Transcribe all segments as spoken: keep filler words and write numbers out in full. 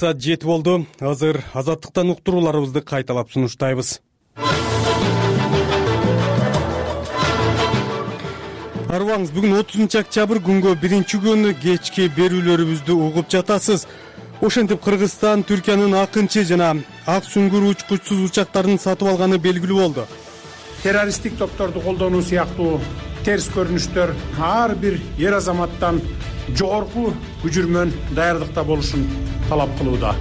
саат жети болду. Азыр азаттыктан уктурууларыбызды кайталап сунуштайбыз. Арыбаңыз, бүгүн отузунчу октябрь күнгө биринчи күнү кечки берүүлөрүбүздү угуп жатасыз. Ошентип Кыргызстан Түркиянын акынчы жана ак сүңгүр учкучсуз учактарын сатып алганы белгилүү болду. Террористтик топторду колдонуу сыяктуу терс көрүнүштөр ар бир эр азаматтан жогорку күжүрмөн даярдыкта болушун талап кылууда.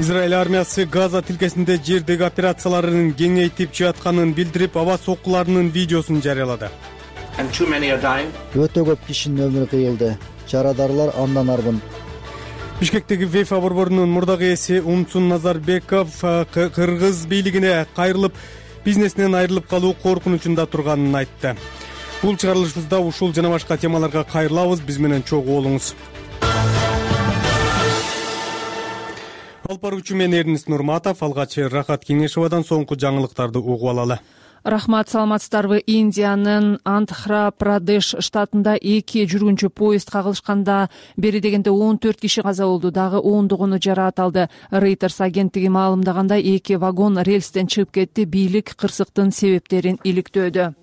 Израиль армиясы Газа тилкесинде жердеги операцияларын кеңейтип жатканын билдирип, аба соккуларынын видеосун жарыялады. Өтө көп кишинин өмүрү кыйылды. Жарадарлар андан арбын. Бишкектеги ВЕФА борборунун мурдагы ээси Умсун Назарбеков кыргыз бийлигине кайрылып, бизнесинен айрылып калуу коркунучунда турганын айтты. Бул чыгарылышыбызда ушул жана башка темаларга кайрылабыз. Биз менен чогуу болуңуз. Алып баруучу мен Эрнис Нурматов, алгач Рахат Кеңешовадан соңку жаңылыктарды угуп алалы. Рахмат, саламатсыздарбы? Индиянын Андхра-Прадеш штатында эки жүргүнчү поезд кагылышканда бери дегенде он төрт киши каза болду, дагы ондогону жараат алды. Reuters агенттиги маалымдагандай, эки вагон рельстен чыгып кетти. Бийлик кырсыктын себептерин иликтөөдө.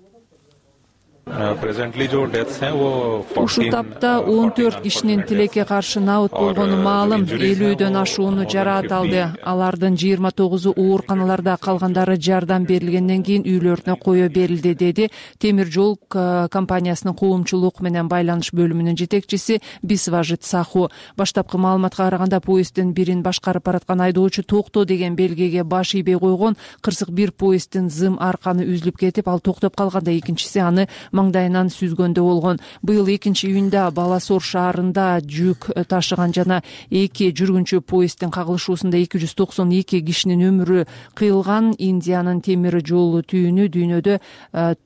Ушул тапта он төрт кишинин тилекке каршы набыт болгону маалым. элүүдөн ашууну жараат алды. Алардын жыйырма тогузу ооруканаларда, калгандары жардам берилгенден кийин үйлөрүнө кое берилди, деди темир жол компаниясынын коомчулук менен байланыш бөлүмүнүн жетекчиси Бисважит Саху. Баштапкы маалыматка караганда, поезддин бирин башкарып бараткан айдоочу токто деген белгиге баш ийбей койгон. Кырсык бир поезддин зым арканы үзүлүп кетип, ал токтоп калганда экинчиси аны маңдайынан сүзгөндө болгон. Быйыл экинчи июнда Баласор шаарында жүк ташыган жана эки жүргүнчү поезддин кагылышуусунда эки жүз токсон эки кишинин өмүрү кыйылган. Индиянын темир жол түйүнү дүйнөдө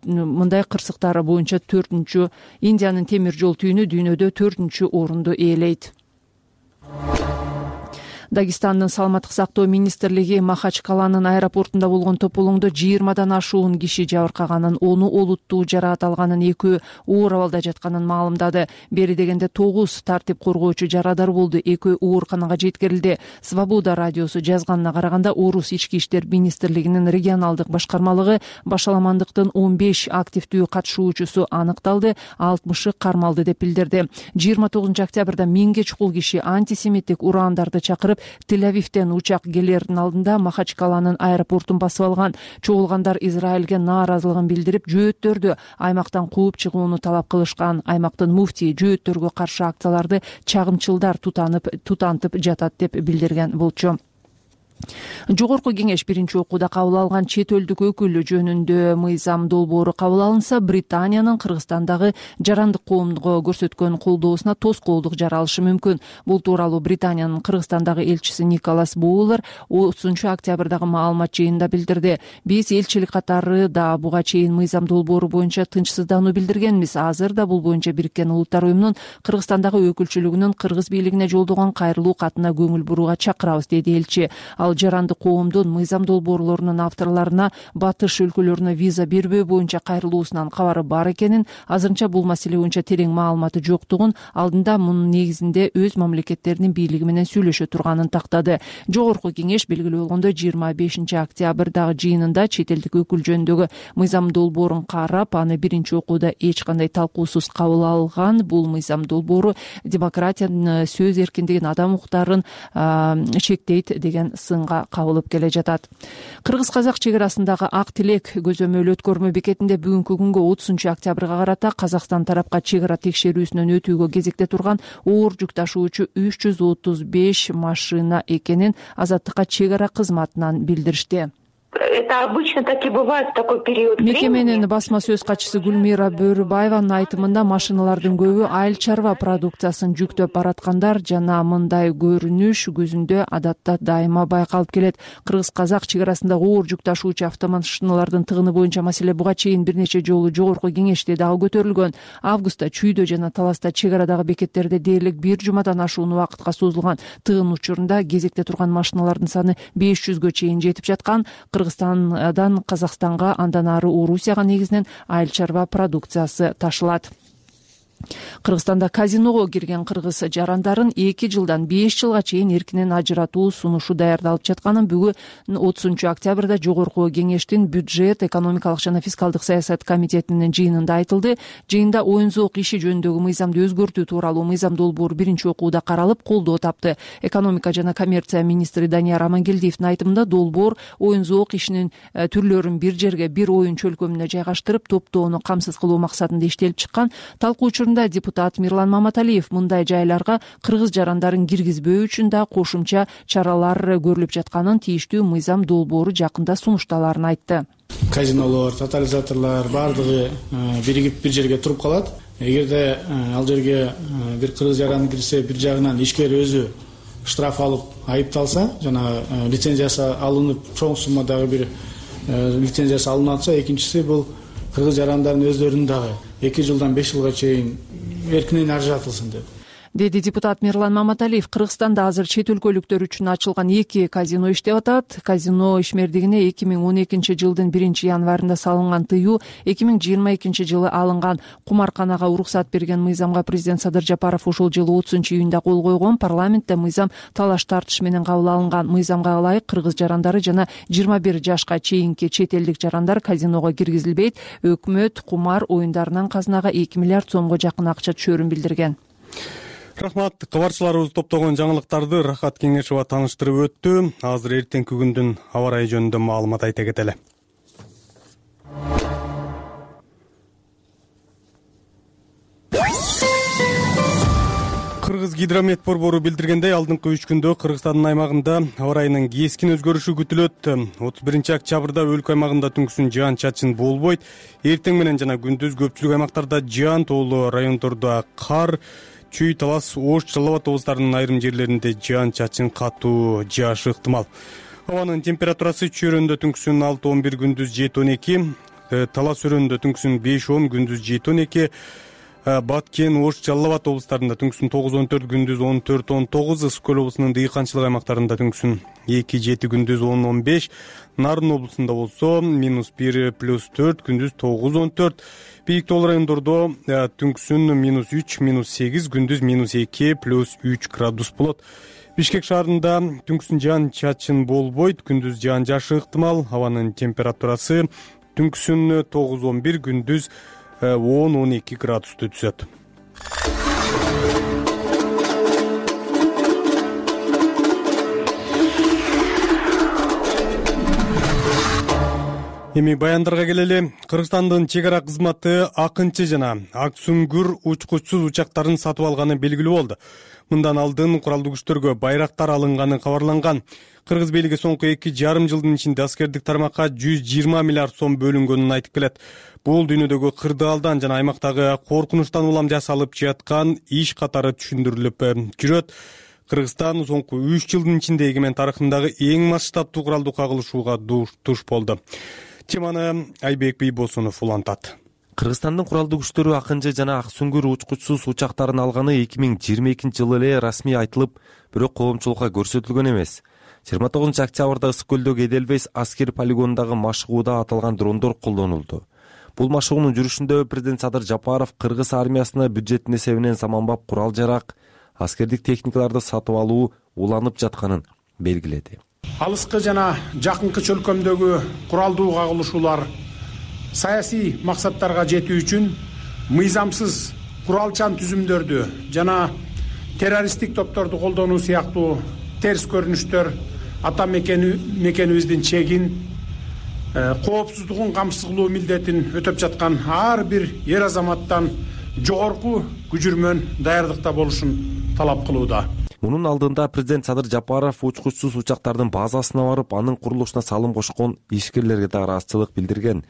мындай кырсыктар боюнча төртүнчү Индиянын темир жол түйүнү дүйнөдө төртүнчү орунду ээлейт. Дагестандын саламаттык сактоо министрлиги Махачкаланын аэропортунда болгон тополоңдо жыйырмадан ашуун киши жабыркаганын, ону олуттуу жараат алганын, экөө оор абалда жатканын маалымдады. Бери дегенде тогуз тартип коргоочу жарадар болду, экөө ооруканага жеткирилди. Свобода радиосу жазганына караганда, Орус ички иштер министрлигинин регионалдык башкармалыгы башаламандыктын он беш активдүү катышуучусу аныкталды, алтымышы кармалды деп билдирди. жыйырма тогузунчу октябрда миңге чукул киши антисемиттик урандарды чакырып Тель-Авивден учак келердин алдында Махачкаланын аэропортун басып алган. Чогулгандар Израилге нааразылыгын билдирип, жөөттөрдү аймактан кууп чыгууну талап кылышкан. Аймактын муфтии жөөттөргө каршы акцияларды чагымчылдар тутанып тутантып жатат деп билдирген болчу. Жогорку кеңеш биринчи окууда кабыл алган чет элдик өкүл жөнүндө мыйзам долбоору кабыл алынса, Британиянын Кыргызстандагы жарандык коомго көрсөткөн колдоосуна тоскоолдук жаралышы мүмкүн. Бул тууралуу Британиянын Кыргызстандагы элчиси Николас Боулер отузунчу октябрдагы маалымат жыйынында билдирди. Биз элчилик катары да буга чейин мыйзам долбоору боюнча тынчсыздануу билдиргенбиз. Азыр да бул боюнча Бириккен Улуттар уюмунун Кыргызстандагы өкүлчүлүгүнүн кыргыз бийлигине жолдогон кайрылуу катына көңүл бурууга чакырабыз, деди элчи. Ал жарандык коомдун мыйзам долбоорлорунун авторлоруна батыш өлкөлөрүнө виза бербөө боюнча кайрылуусунан кабары бар экенин, азырынча бул маселе боюнча терең маалыматы жоктугун, алдында мунун негизинде өз мамлекеттеринин бийлиги менен сүйлөшө турганын тактады. Жогорку кеңеш белгилүү болгондой, жыйырма бешинчи октябрдагы жыйынында чет элдик өкүл жөнүндөгү мыйзам долбоорун карап, аны биринчи окууда эч кандай талкуусуз кабыл алган. Бул мыйзам долбоору демократиянын, сөз эркиндигин, адам укуктарын чектейт деген сынга кабылып келе жатат. Кыргыз-казак чек арасындагы Ак Тилек көзөмөл өткөрмө бекетинде бүгүнкү күнгө отузунчу октябрга карата Казакстан тарапка чек ара текшерүүсүнөн өтүүгө кезекте турган оор жүк ташуучу үч жүз отуз беш машина экенин Азаттыкка чек ара кызматынан билдиришти. Это обычно так и бывает в такой период времени. Мекеменин басма сөз катчысы Гүлмира Бөрүбаеванын айтымында, машиналардын көбү айыл чарба продукциясын жүктөп бараткандар жана мындай көрүнүш көзүндө адатта дайыма байкалып келет. Кыргыз-казак чек арасындагы оор жүк ташуучу автомашиналардын тыгыны боюнча маселе буга чейин бир нече жолу жогорку кеңеште дагы көтөрүлгөн. Августта Чүйдө жана Таласта чек арадагы бекеттерде дээрлик бир жумадан ашуун убакытка созулган тыгын учурунда кезекте турган машиналардын саны беш жүзгө чейин жетип жаткан. Кыргызстандан Казакстанга, андан ары Орусияга негизинен айыл чарба продукциясы ташылат. Кыргызстанда казиного кирген кыргыз жарандарын эки жылдан беш жылга чейин эркинен ажыратуу сунушу даярдалып жатканын бүгүн отузунчу октябрда жогорку кеңештин бюджет, экономикалык жана фискалдык саясат комитетинин жыйынында айтылды. Жыйында оюн зоок иши жөнүндөгү мыйзамды өзгөртүү тууралуу мыйзам долбоору биринчи окууда каралып, колдоо тапты. Экономика жана коммерция министри Данияр Амангелдиевдин айтымында долбоор оюн зоок ишинин түрлөрүн бир жерге, бир оюн чөлкөмүнө жайгаштырып, топтоону камсыз кылуу максатында иштелип чыккан. Талкуу учурунда депутат Мирлан Маматалиев мындай жайларга кыргыз жарандарын киргизбөө үчүн да кошумча чаралар көрүлүп жатканын, тийиштүү мыйзам долбоору жакында сунушталарын айтты. Казинолор, тотализаторлор баардыгы биригип бир жерге туруп калат. Эгерде ал жерге бир кыргыз жаран кирсе, бир жагынан ишкер өзү штраф алып айыпталса, жана лицензиясы алынып, чоң суммадагы бир лицензиясы алынып атса, экинчиси бул кыргыз жарандардын өздөрүнүн дагы эки жылдан беш жылга чейин эркинен ажыратылсын деп. Деди депутат Мирлан Маматалиев. Кыргызстанда азыр чет өлкөлүктөр үчүн ачылган эки казино иштеп атат. Казино ишмердигине эки миң он экинчи жылдын биринчи январында салынган тыюу эки миң жыйырма экинчи жылы алынган. Кумарканага уруксат берген мыйзамга президент Садыр Жапаров ушул жылы отузунчу июнда кол койгон. Парламентте мыйзам талаш тартыш менен кабыл алынган. Мыйзамга ылайык кыргыз жарандары жана жыйырма бир жашка чейинки чет элдик жарандар казиного киргизилбейт. Өкмөт кумар оюндарынан казынага эки миллиард сомго жакын акча түшөрүн билдирген. Рахмат. Кабарчыларыбыз топтогон жаңылыктарды Рахат Кеңешова тааныштырып өттү. Азыр эртеңки күндүн аба ырайы жөнүндө маалымат айта кетели. Кыргыз гидромет борбору билдиргендей, алдыңкы үч күндө Кыргызстандын аймагында аба ырайынын кескин өзгөрүшү күтүлөт. отуз биринчи октябрда өлкө аймагында түнкүсүн жаан-чачын болбойт. Эртең менен жана күндүз көпчүлүк аймактарда жаан, тоолуу райондордо кар, Чүй, Талас, Ош, Жалал Абад облустарынын айрым жерлеринде жаан-чачын катуу жаашы ыктымал. Абанын температурасы Чүй өрөөнүндө түнкүсүн алты он бир, күндүз жети он эки, Талас өрөөнүндө түнкүсүн беш он, күндүз жети он эки, Баткен, Ош, Жалал Абад облустарында түнкүсүн тогуз он төрт, күндүз он төрт он тогуз, Ысык көл облусунун дыйканчылык аймактарында түнкүсүн эки жети, күндүз он он беш, Нарын облусунда болсо минус бир плюс төрт, күндүз тогуз он төрт, бийик тоолуу райондордо түнкүсүн минус үч, минус сегиз, күндүз минус эки плюс үч градус болот. Бишкек шаарында түнкүсүн жаан-чачын болбойт, күндүз жаан жаашы ыктымал. Абанын температурасы түнкүсүн тогуз он бир, күндүз он он эки градусту түзөт. Эми баяндарга келели. Кыргызстандын чек ара кызматы Акынчы жана Ак Сүңгүр учкучсуз учактарын сатып алганы белгилүү болду. Мындан алдын куралдуу күчтөргө байрактар алынганы кабарланган. Кыргыз бийлиги соңку эки жарым жылдын ичинде аскердик тармакка жүз жыйырма миллиард сом бөлүнгөнүн айтып келет. Бул дүйнөдөгү кырдаалдан жана аймактагы коркунучтан улам жасалып жаткан иш катары түшүндүрүлүп жүрөт. Кыргызстан соңку үч жылдын ичинде эгемен тарыхындагы эң масштабтуу куралдуу кагылышууга туш болду. Теманы Айбек Бийбосунов улантат. Кыргызстандын куралдуу күчтөрү Акынчы жана Ак Сүңгүр учкучсуз учактарын алганы эки миң жыйырма экинчи жылы эле расмий айтылып, бирок коомчулукка көрсөтүлгөн эмес. жыйырма тогузунчу октябрда Ысык көлдөгү Эделвейс аскер полигонундагы машыгууда аталган дрондор колдонулду. Бул машыгуунун жүрүшүндө президент Садыр Жапаров кыргыз армиясына бюджеттин эсебинен заманбап курал-жарак, аскердик техникаларды сатып алуу уланып жатканын белгиледи. Алыскы жана жакынкы чөлкөмдөгү куралдуу кагылышуулар саясий максаттарга жетүү үчүн мыйзамсыз куралчан түзүмдөрдү жана террористтик топторду колдонуу сыяктуу терс көрүнүштөр ата мекенибиздин чегин, коопсуздугун камсыз кылуу милдетин өтөп жаткан ар бир эр азаматтан жогорку күжүрмөн даярдыкта болушун талап кылууда. Мунун алдында президент Садыр Жапаров учкучсуз учактардын базасына барып, анын курулушуна салым кошкон ишкерлерге да ыраазычылык билдирген.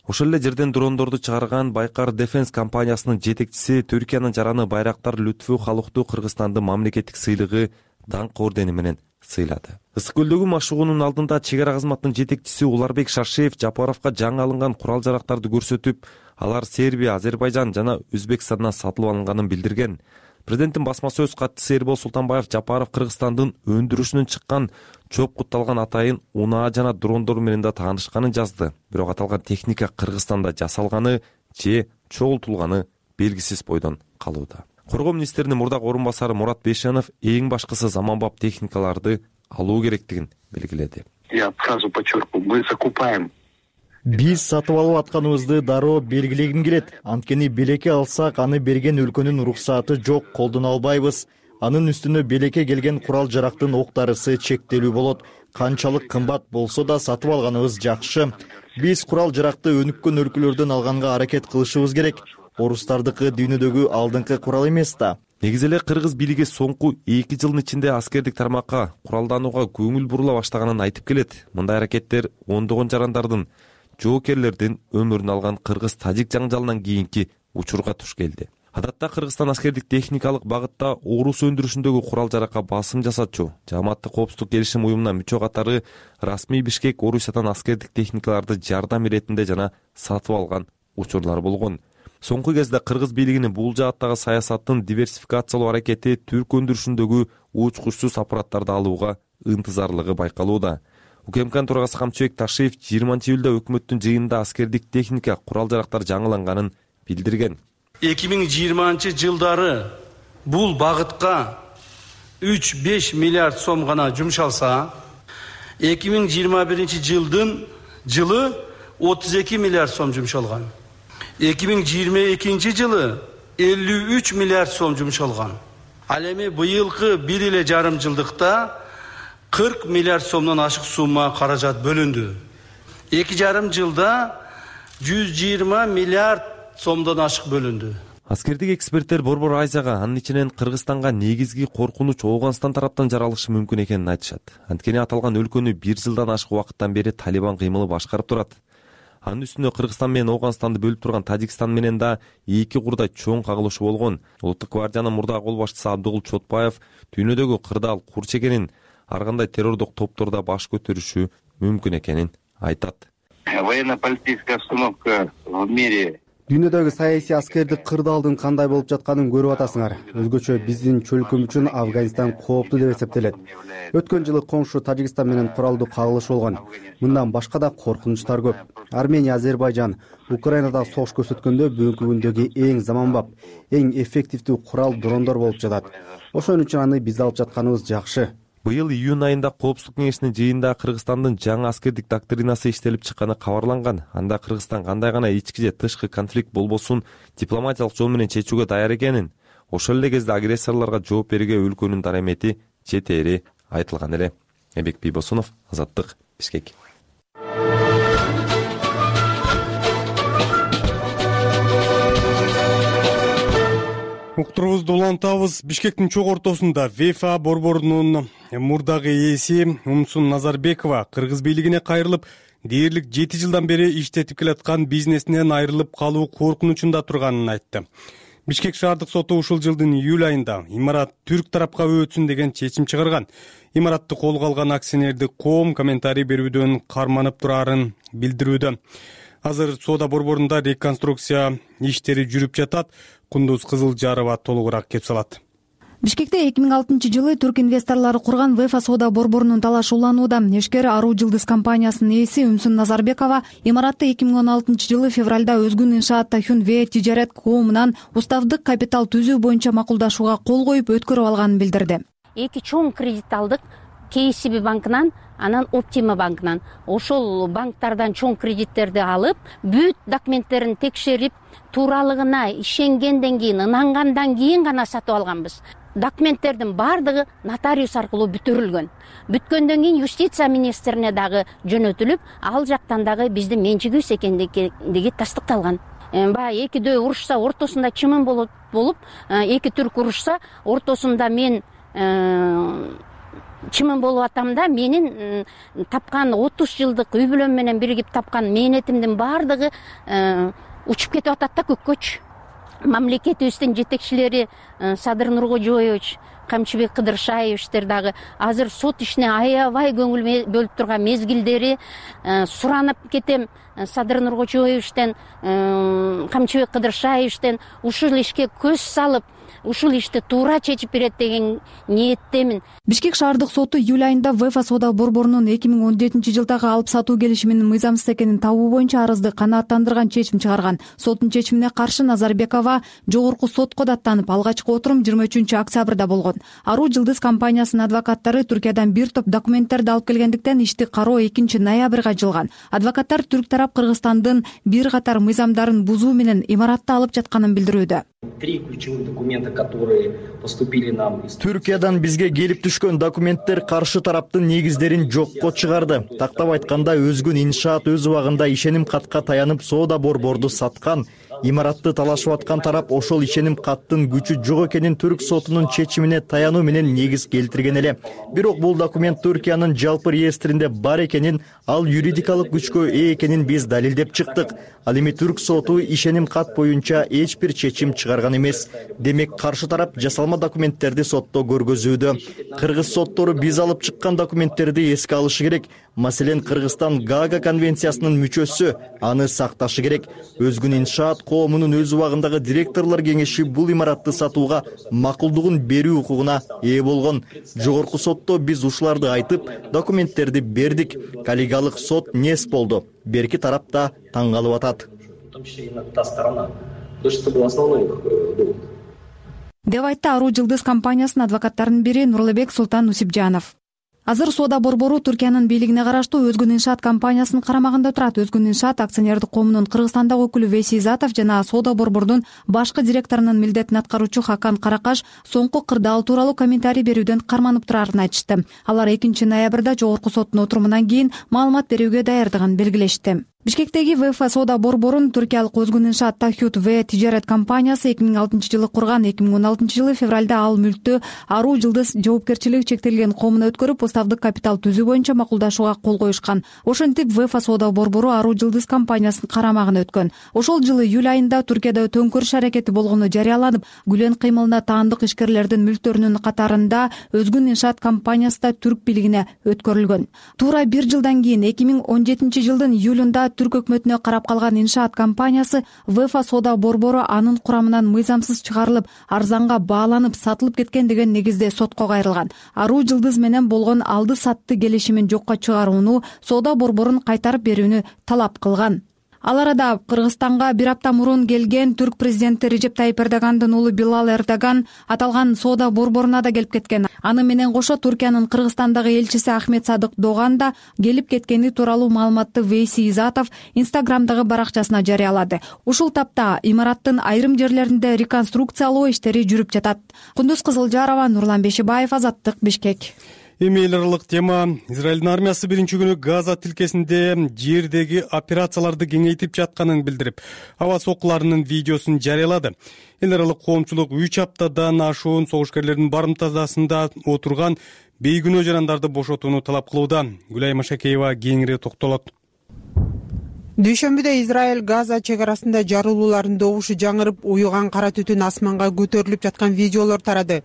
Ошол эле жерден дрондорду чыгарган Байкар Defense компаниясынын жетекчиси Түркиянын жараны Байрактар Лүтфү Халыктуу Кыргызстандын мамлекеттик сыйлыгы даңк ордени менен сыйлады. Ысык көлдөгү машыгуунун алдында чек ара кызматынын жетекчиси Уларбек Шаршеев Жапаровго жаңы алынган курал-жарактарды көрсөтүп, алар Сербия, Азербайжан жана Өзбекстандан сатылып алынганын билдирген. Президенттин басма сөз катчысы Эрбол Султанбаев Жапаров Кыргызстандын өндүрүшүнөн чыккан чоп кутталган атайын унаа жана дрондор менен да таанышканын жазды. Бирок аталган техника Кыргызстанда жасалганы же чогултулганы белгисиз бойдон калууда. Коргоо министринин мурдагы орун басары Мурат Бейшенов эң башкысы заманбап техникаларды алуу керектигин белгиледи. Я сразу подчеркиваю, мы закупаем. Биз сатып алып атканыбызды дароо белгилегим келет. Анткени белекке алсак, аны берген өлкөнүн уруксаты жок, колдоно албайбыз. Анын үстүнө белекке келген курал-жарактын октарысы чектелүү болот. Канчалык кымбат болсо да сатып алганыбыз жакшы. Биз курал-жаракты өнүккөн өлкөлөрдөн алганга аракет кылышыбыз керек. Орустардыкы дүйнөдөгү алдыңкы курал эмес да. Негизи эле кыргыз бийлиги соңку эки жылдын ичинде аскердик тармакка куралданууга көңүл бурула баштаганын айтып келет. Мындай аракеттер ондогон жарандардын, жоокерлердин өмүрүн алган кыргыз-тажик жаңжалынан кийинки учурга туш келди. Адатта Кыргызстан аскердик техникалык багытта орус өндүрүшүндөгү курал-жаракка басым жасатчу Жааматтык коопсуздук келишим уюмуна мүчө катары расмий Бишкек Орусиядан аскердик техникаларды жардам иретинде жана сатып алган учурлар болгон. Соңку кезде кыргыз бийлигинин бул жааттагы саясаттын диверсификациялоо аракети түрк өндүрүшүндөгү учкучсуз аппараттарды алууга ынтызарлыгы байкалууда. УКМКнын төрагасы Камчыбек Ташиев жыйырманчы июлда өкмөттүн жыйынында аскердик техника, курал-жарактар жаңыланганын билдирген. эки миң жыйырманчы жылдары бул багытка үч беш миллиард сом гана жумшалса, эки миң жыйырма биринчи жылдын жылы отуз эки миллиард сом жумшалган. эки миң жыйырма экинчи жылы элүү үч миллиард сом жумшалган. Ал эми быйылкы бир эле жарым жылдыкта кырк миллиард сомдон ашык сумма каражат бөлүндү. эки жарым жылда жүз жыйырма миллиард сомдон ашык бөлүндү. Аскердик эксперттер Борбор Азияга, анын ичинен Кыргызстанга негизги коркунуч Ооганстан тараптан жаралышы мүмкүн экенин айтышат. Анткени аталган өлкөнү бир жылдан ашык убакыттан бери Талибан кыймылы башкарып турат. Анын үстүнө Кыргызстан менен Ооганстанды бөлүп турган Тажикстан менен да эки курдай чоң кагылышы болгон. Улуттук гвардиянын мурдагы кол башчысы Абдыгул Чотбаев дүйнөдөгү кырдаал кур чегенин ар кандай террордук топтордо баш көтөрүшү мүмкүн экенин айтат. Военно-политическая обстановка в мире. Дүйнөдөгү саясий аскердик кырдаалдын кандай болуп жатканын көрүп атасыңар. Өзгөчө биздин чөлкөм үчүн Афганистан кооптуу деп эсептелет. Өткөн жылы коңшу Тажикстан менен куралдуу кагылыш болгон. Мындан башка да коркунучтар көп. Армения, Азербайжан, Украинада согуш көрсөткөндө бүгүнкү күндөгү эң заманбап, эң эффективдүү курал дрондор болуп жатат. Ошон үчүн аны биз алып жатканыбыз жакшы. Быйыл июнь айында Коопсуздук кеңешинин жыйынында Кыргызстандын жаңы аскердик доктринасы иштелип чыкканы кабарланган. Анда Кыргызстан кандай гана ички же тышкы конфликт болбосун дипломатиялык жол менен чечүүгө даяр экенин, ошол эле кезде агрессорлорго жооп берүүгө өлкөнүн дарамети жетери айтылган эле. Эмбек Бийбосунов, Азаттык, Бишкек. Уктурубузду улантабыз. Бишкектин чок ортосунда ВЕФА борборунун мурдагы ээси Умсун Назарбекова кыргыз бийлигине кайрылып, дээрлик жети жылдан бери иштетип келаткан бизнесинен айрылып калуу коркунучунда турганын айтты. Бишкек шаардык соту ушул жылдын июль айында имарат түрк тарапка өтсүн деген чечим чыгарган. Имаратты колго алган акционердик коом комментарий берүүдөн карманып турарын билдирүүдө. Азыр соода борборунда реконструкция иштери жүрүп жатат. Кундуз Кызылжарова толугураак кеп салат. Бишкекте эки миң алтынчы жылы түрк инвесторлору курган ВЕФА соода борборунун талашы уланууда. Эшкер Аруу Жылдыз компаниясынын ээси Умсун Назарбекова имаратты эки миң он алтынчы жылы февралда Өзгүн Иншаат Тахюн-Ве тижарет коомунан уставдык капитал түзүү боюнча макулдашууга кол коюп өткөрүп алганын билдирди. Эки чоң кредит алдык. Кей Си Би банкынан, анан Оптима банкынан. Ошол банктардан чоң кредиттерди алып, бүт документтерин текшерип, тууралыгына ишенгенден кийин, ынангандан кийин гана сатып алганбыз. Документтердин бардыгы нотариус аркылуу бүтүрүлгөн. Бүткөндөн кийин юстиция министрине дагы жөнөтүлүп, ал жактан дагы биздин менчигибиз экендиги тастыкталган. Баягы экидөө урушса, ортосунда чымын болуп, болуп, эки түрк урушса, ортосунда мен чымын болуп атам да, менин тапкан отуз жылдык үй бүлөм менен биригип тапкан мээнетимдин бардыгы учуп кетип атат да көккөчү. Мамлекетибиздин жетекчилери Садыр Нуркожоевич, Камчыбек Кыдыршаевичтер дагы азыр сот ишине аябай көңүл бөлүп турган мезгилдери. Суранып кетем Садыр Нуркожоевичтен, Камчыбек Кыдыршаевичтен ушул ишке көз салып, ушул ишти туура чечип берет деген ниеттемин. Бишкек шаардык соту июль айында ВЭФА соода борборунун эки миң он жетинчи жылдагы алып сатуу келишиминин мыйзамсыз экенин табуу боюнча арызды канааттандырган чечим чыгарган. Соттун чечимине каршы Назарбекова жогорку сотко даттанып, алгачкы отурум жыйырма үчүнчү октябрда болгон. Ару Жылдыз компаниясынын адвокаттары Түркиядан бир топ документтерди алып келгендиктен ишти кароо экинчи ноябрга жылган. Адвокаттар түрк тарап Кыргызстандын бир катар мыйзамдарын бузуу менен имаратты алып жатканын билдирүүдө. Три ключевых документа, которые поступили нам из Түркиядан бизге келип түшкөн документтер каршы тараптын негиздерин жокко чыгарды. Тактап айтканда, өзгүн иншаат өз убагында ишеним катка таянып соода борборду саткан. Имаратты талашып аткан тарап ошол ишеним каттын күчү жок экенин түрк сотунун чечимине таянуу менен негиз келтирген эле. Бирок бул документ Түркиянын жалпы реестринде бар экенин, ал юридикалык күчкө ээ экенин биз далилдеп чыктык. Ал эми түрк соту ишеним кат боюнча эч бир чечим чыгарган эмес. Демек каршы тарап жасалма документтерди сотто көргөзүүдө. Кыргыз соттору биз алып чыккан документтерди эске алышы керек. Маселен, Кыргызстан Гаага конвенциясынын мүчөсү, аны сакташы керек. Өзгүн иншаат коомунун өз убагындагы директорлор кеңеши бул имаратты сатууга макулдугун берүү укугуна ээ болгон. Жогорку сотто биз ушуларды айтып, документтерди бердик. Коллегиалык сот нес болду. Берки тарап да таң калып атат. В том числе и та сторона. То есть это был основной их довод. Деп айтты Ару Жылдыз компаниясынын адвокаттарынын бири Нурлыбек Султан Усипжанов. Азыр соода борбору Түркиянын бийлигине караштуу Өзгүн иншаат компаниясынын карамагында турат. Өзгүн иншаат акционердик коомунун Кыргызстандагы өкүлү Вейси Изатов жана соода борборунун башкы директорунун милдетин аткаруучу Хакан Каракаш соңку кырдаал тууралуу комментарий берүүдөн карманып турарын айтышты. Алар экинчи ноябрда жогорку соттун отурумунан кийин маалымат берүүгө даярдыгын белгилешти. Бишкектеги ВЭФА соода борборун түркиялык Өзгүн иншаат Тахют В тижарет компаниясы эки миң алтынчы жылы курган. эки миң он алтынчы жылы февралда ал мүлктү Ару Жылдыз жоопкерчилиги чектелген коомуна өткөрүп, уставдык капитал түзүү боюнча макулдашууга кол коюшкан. Ошентип ВЭФА соода борбору Ару Жылдыз компаниясынын карамагына өткөн. Ошол жылы июль айында Түркияда төңкөрүш аракети болгону жарыяланып, Гүлен кыймылына таандык ишкерлердин мүлктөрүнүн катарында Өзгүн иншаат компаниясы да түрк бийлигине өткөрүлгөн. Туура бир жылдан кийин эки миң он жетинчи жылдын июлунда түрк өкмөтүнө карап калган иншаат компаниясы ВЭФА соода борбору анын курамынан мыйзамсыз чыгарылып, арзанга бааланып сатылып кеткен деген негизде сотко кайрылган. Ару Жылдыз менен болгон алды сатты келишимин жокко чыгарууну, соода борборун кайтарып берүүнү талап кылган. Ал арада Кыргызстанга бир апта мурун келген түрк президенти Режеп Тайип Эрдогандын уулу Билал Эрдоган аталган соода борборуна да келип кеткен. Аны менен кошо Түркиянын Кыргызстандагы элчиси Ахмет Садык Доган да келип кеткени тууралуу маалыматты Вейси Изатов Инстаграмдагы баракчасына жарыялады. Ушул тапта имараттын айрым жерлеринде реконструкциялоо иштери жүрүп жатат. Кундуз Кызылжарова, Нурлан Бешибаев, Азаттык, Бишкек. Эми эл аралык тема. Израилдин армиясы биринчи күнү Газа тилкесинде жердеги операцияларды кеңейтип жатканын билдирип, аба соккуларынын видеосун жарыялады. Эл аралык коомчулук үч аптадан ашуун согушкерлердин барымтасында отурган бейгүнөө жарандарды бошотууну талап кылууда. Гүлай Машакеева кеңири токтолот. Дүйшөмбүдө Израиль Газа чек арасында жарылуулардын добушу жаңырып, уюган кара түтүн асманга көтөрүлүп жаткан видеолор тарады.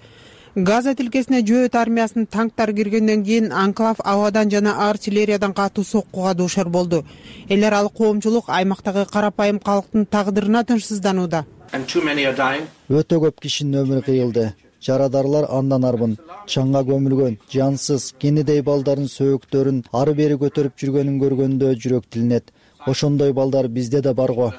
Газа тилкесине жөөт армиясынын танктары киргенден кийин анклав абадан жана артиллериядан катуу соккуга дуушар болду. Эл аралык коомчулук аймактагы карапайым калктын тагдырына тынчсызданууда. Өтө көп кишинин өмүрү кыйылды. Жарадарлар андан арбын, чаңга көмүлгөн, жансыз, кенедей балдардын сөөктөрүн ары бери көтөрүп жүргөнүн көргөндө жүрөк тилинет. Ошондой балдар бизде да барго.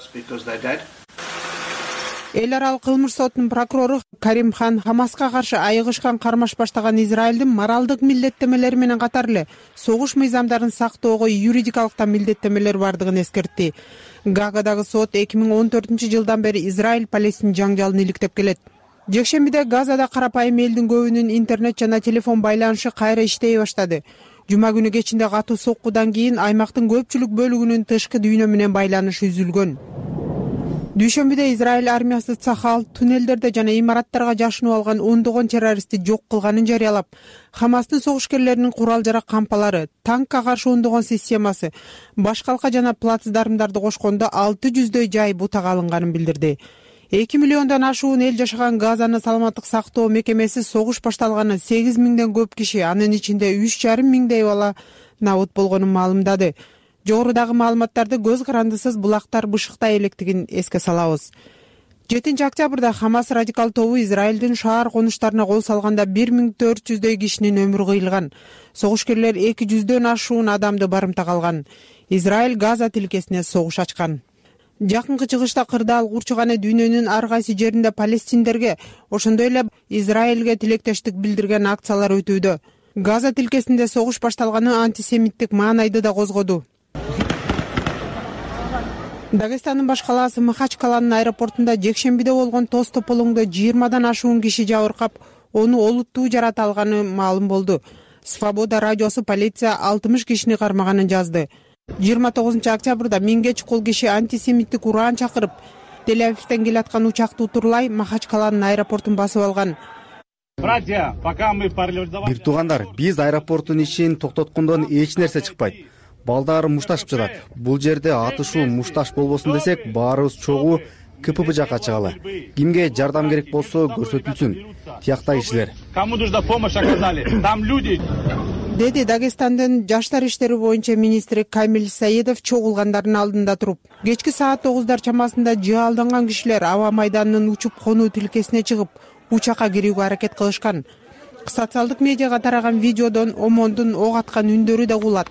Эл аралык кылмыш сотунун прокурору Карим Хан Хамаска каршы айыгышкан кармаш баштаган Израилдин моралдык милдеттемелери менен катар эле согуш мыйзамдарын сактоого юридикалык милдеттемелер бардыгын эскертти. Гаагадагы сот эки миң он төртүнчү жылдан бери Израиль-Палестин жаңжалын иликтеп келет. Жекшембиде Газада карапайым элдин көбүнүн интернет жана телефон байланышы кайра иштей баштады. Жума күнү кечинде катуу соккудан кийин аймактын көпчүлүк бөлүгүнүн тышкы дүйнө менен байланышы үзүлгөн. Дүйшөмбүдө Израиль армиясы Цахал туннелдерде жана имараттарга жашынып алган ондогон террористти жок кылганын жарыялап, Хамастын согушкерлеринин курал-жарак кампалары, танкка каршы ондогон системасы, башкалка жана плацдармдарды кошкондо алты жүздөй жай бутага алынганын билдирди. эки миллиондон ашуун эл жашаган Газаны саламаттык сактоо мекемеси согуш башталганы сегиз миңден көп киши, анын ичинде үч жарым миңдей бала набут болгонун маалымдады. Жогорудагы маалыматтарды көз карандысыз булактар бышыктай электигин эске салабыз. жетинчи октябрда Хамас радикал тобу Израилдин шаар конуштарына кол салганда бир миң төрт жүздөй кишинин өмүрү кыйылган. Согушкерлер эки жүздөн ашуун адамды барымтага алган. Израиль Газа тилкесине согуш ачкан. Жакынкы чыгышта кырдаал курчуганы дүйнөнүн ар кайсы жеринде палестиндерге, ошондой эле Израилге тилектештик билдирген акциялар өтүүдө. Газа тилкесинде согуш башталганы антисемиттик маанайды да козгоду. Дагестандын баш калаасы Махачкаланын аэропортунда жекшембиде болгон тоз тополоңдо жыйырмадан ашуун киши жабыркап, ону олуттуу жарата алганы маалым болду. Свобода радиосу полиция алтымыш кишини кармаганын жазды. жыйырма тогузунчу октябрда миңге чукул киши антисемиттик ураан чакырып, Тель-Авивден келаткан учакты утурлай Махачкаланын аэропортун басып алган. Бир туугандар, биз аэропорттун ишин токтоткондон эч нерсе чыкпайт. Балдар мушташып жатат. Бул жерде атышуу мушташ болбосун десек, баарыбыз чогуу КПП жакка чыгалы. Кимге жардам керек болсо көрсөтүлсүн. Тиякта кишилер. Кому нужна помощь оказали? Там люди. Деди Дагестандын жаштар иштери боюнча министри Камил Саидов чогулгандардын алдында туруп. Кечки саат тогуздар чамасында жаалданган кишилер аба майданынын учуп конуу тилкесине чыгып, учакка кирүүгө аракет кылышкан. Социалдык медиага тараган видеодон омондун ок аткан үндөрү да угулат.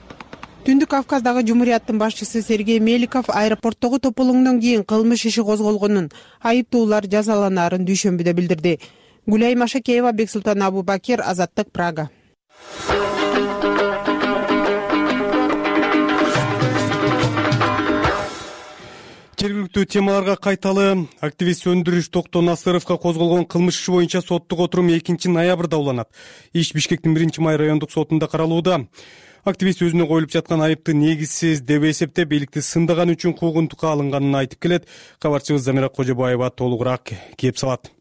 Түндүк Кавказдагы Жумурияттын башчысы Сергей Меликов аэропорттогу тополоңдон кийин кылмыш иши козголгонун, айыптуулар жазаланаарын дүйшөмбүдө билдирди. Гулай Машакеева, Бексултан Абубакир, Азаттык, Прага. Жергиликтүү темаларга кайталы. Активист Өндүрүш Токтоо Насыровго козголгон кылмыш иши боюнча соттук отурум экинчи ноябрда уланат. Иш Бишкектин биринчи май райондук сотунда каралууда. Активист өзүнө коюлуп жаткан айыпты негизсиз деп эсептеп, бийликти сындаган үчүн куугунтукка алынганын айтып келет. Кабарчыбыз Замира Кожобаева толугураак кеп салат.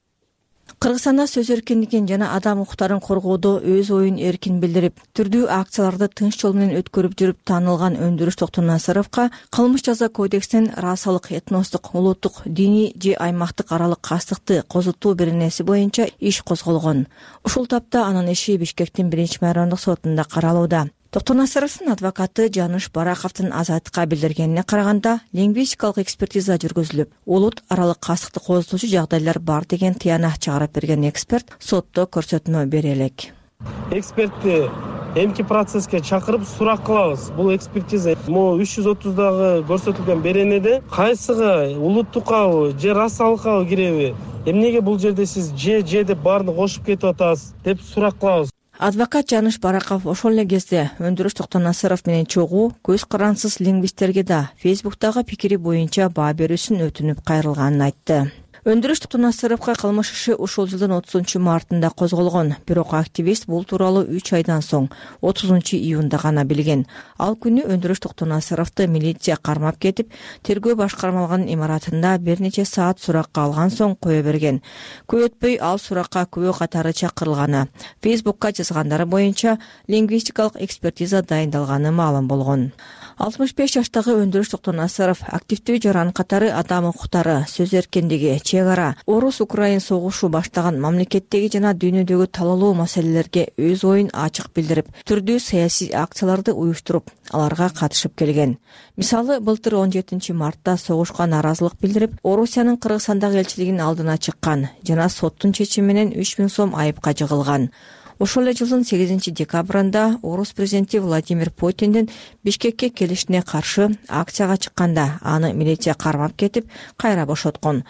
Кыргызстанда сөз эркиндигин жана адам укуктарын коргоодо өз оюн эркин билдирип, түрдүү акцияларды тынч жол менен өткөрүп жүрүп таанылган Өндүрүш Токтоо Насыровго кылмыш жаза кодексинин расалык, этностук, улуттук, диний же аймактык аралык кастыкты козутуу беренеси боюнча иш козголгон. Ушул тапта анын иши Бишкектин биринчи май райондук сотунда каралууда. Токтоо Насыровдун адвокаты Жаныш Бараковдун азаттыкка билдиргенине караганда, лингвистикалык экспертиза жүргүзүлүп, улут аралык кастыкты козутуучу жагдайлар бар деген тыянак чыгарып берген эксперт сотто көрсөтмө бере элек. Экспертти эмки процесске чакырып сурак кылабыз. Бул экспертиза могу үч жүз отуздагы көрсөтүлгөн беренеде кайсыга, улуттуккабы же расалыккабы киреби? Эмнеге бул жерде сиз же же деп баарын кошуп кетип атасыз деп сурак кылабыз. Адвокат Жаныш Бараков ошол эле кезде Өндүрүш Токтоо Насыров менен чогуу көз карансыз лингвисттерге да Фейсбуктагы пикири боюнча баа берүүсүн өтүнүп кайрылганын айтты. Өндүрүш Токтоо Насыровго кылмыш иши ушул жылдын отузунчу мартында козголгон. Бирок активист бул тууралуу үч айдан соң отузунчу июнда гана билген. Ал күнү Өндүрүш Токтоо Насыровду милиция кармап кетип, тергөө башкармалыгынын имаратында бир нече саат суракка алган соң кое берген. Көп өтпөй ал суракка күбө катары чакырылганы, Фейсбукка жазгандары боюнча лингвистикалык экспертиза дайындалганы маалым болгон. алтымыш беш жаштагы Өндүрүш Токтоо Насыров активдүү жаран катары адам укуктары, сөз эркиндиги, чек ара, орус-украин согушу баштаган мамлекеттеги жана дүйнөдөгү талаалуу маселелерге өз оюн ачык билдирип, түрдүү саясий акцияларды уюштуруп, аларга катышып келген. Мисалы, былтыр он жетинчи мартта согушка нааразылык билдирип, Орусиянын Кыргызстандагы элчилигинин алдына чыккан жана соттун чечими менен үч миң сом айыпка жыгылган. Ошол эле жылдын сегизинчи декабрында орус президенти Владимир Путиндин Бишкекке келишине каршы акцияга чыкканда аны милиция кармап кетип, кайра бошоткон.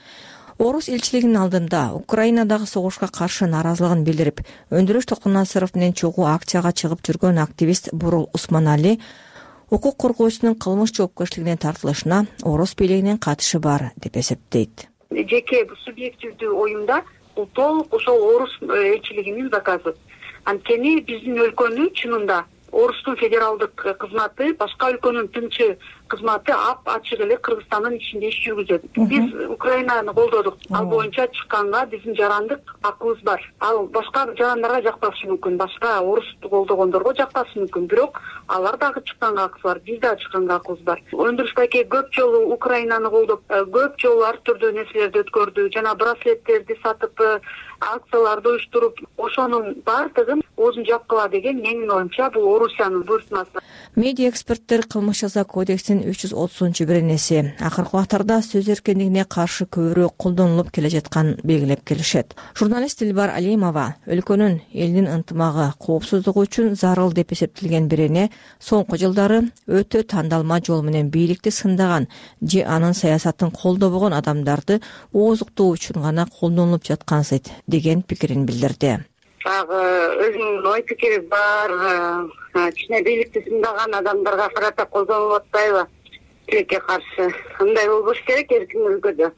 Орус элчилигинин алдында Украинадагы согушка каршы нааразылыгын билдирип, Өндүрүш Токтоо Насыров менен чогуу акцияга чыгып жүргөн активист Бурул Усманали укук коргоочунун кылмыш жоопкерчилигине тартылышына орус бийлигинин катышы бар деп эсептейт. Жеке субъективдүү оюмда бул толук ошол орус элчилигинин заказы. Анткени биздин өлкөнү чынында Орустун федералдык кызматы, башка өлкөнүн тынчы кызматы ап ачык эле Кыргызстандын ичинде иш жүргүзөт. Биз Украинаны колдодук. Ал боюнча чыкканга биздин жарандык акыбыз бар. Ал башка жарандарга жакпашы мүмкүн, башка орусту колдогондорго жакпашы мүмкүн. Бирок алар дагы чыкканга акыбыз бар, биз дагы чыкканга акыбыз бар. Өндүрүш байке көп жолу Украинаны колдоп, көп жолу ар түрдүү нерселерди өткөрдү, жана браслеттерди сатып, акцияларды уюштуруп, ошонун баардыгын оозун жапкыла деген менин оюмча бул Орусиянын буйртмасы. Медиа эксперттер кылмыш жаза кодексинин үч жүз отузунчу беренеси акыркы убактарда сөз эркиндигине каршы көбүрөөк колдонулуп келе жатканын белгилеп келишет. Журналист Дилбар Алимова өлкөнүн элдин ынтымагы, коопсуздугу үчүн зарыл деп эсептелген берене соңку жылдары өтө тандалма жол менен бийликти сындаган же анын саясатын колдобогон адамдарды оозуктоо үчүн гана колдонулуп жаткансыйт деген пикирин билдирди. Дагы өзүнүн ой пикири бар, кичине бийликти сындаган адамдарга карата колдонулуп атпайбы? Тилекке каршы. Андай болбош керек эркин өлкөдө.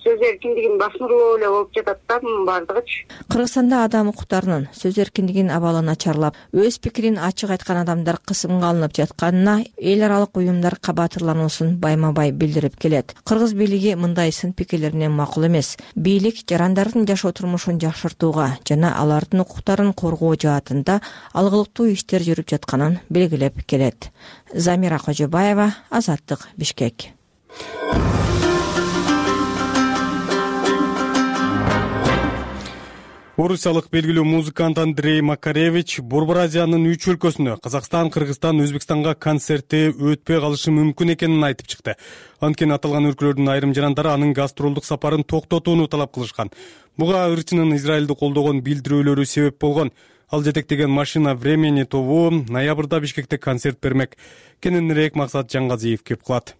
Сөз эркиндигин басмырлоо эле болуп жатат да мунун баардыгычы. Кыргызстанда адам укуктарынын сөз эркиндигинин абалы начарлап, өз пикирин ачык айткан адамдар кысымга алынып жатканына эл аралык уюмдар кабатырлануусун байма-бай билдирип келет. Кыргыз бийлиги мындай сын пикирлерине макул эмес. Бийлик жарандардын жашоо турмушун жакшыртууга жана алардын укуктарын коргоо жаатында алгылыктуу иштер жүрүп жатканын белгилеп келет. Замира Кожобаева, Азаттык, Бишкек. Орусиялык белгилүү музыкант Андрей Макаревич Борбор Азиянын үч өлкөсүнө Казакстан, Кыргызстан, Өзбекстанга концерти өтпөй калышы мүмкүн экенин айтып чыкты. Анткени аталган өлкөлөрдүн айрым жарандары анын гастролдук сапарын токтотууну талап кылышкан. Буга ырчынын Израилди колдогон билдирүүлөрү себеп болгон. Ал жетектеген Машина времени тобу ноябрда Бишкекте концерт бермек. Кененирээк Максат Жаңгазиев кеп кылат.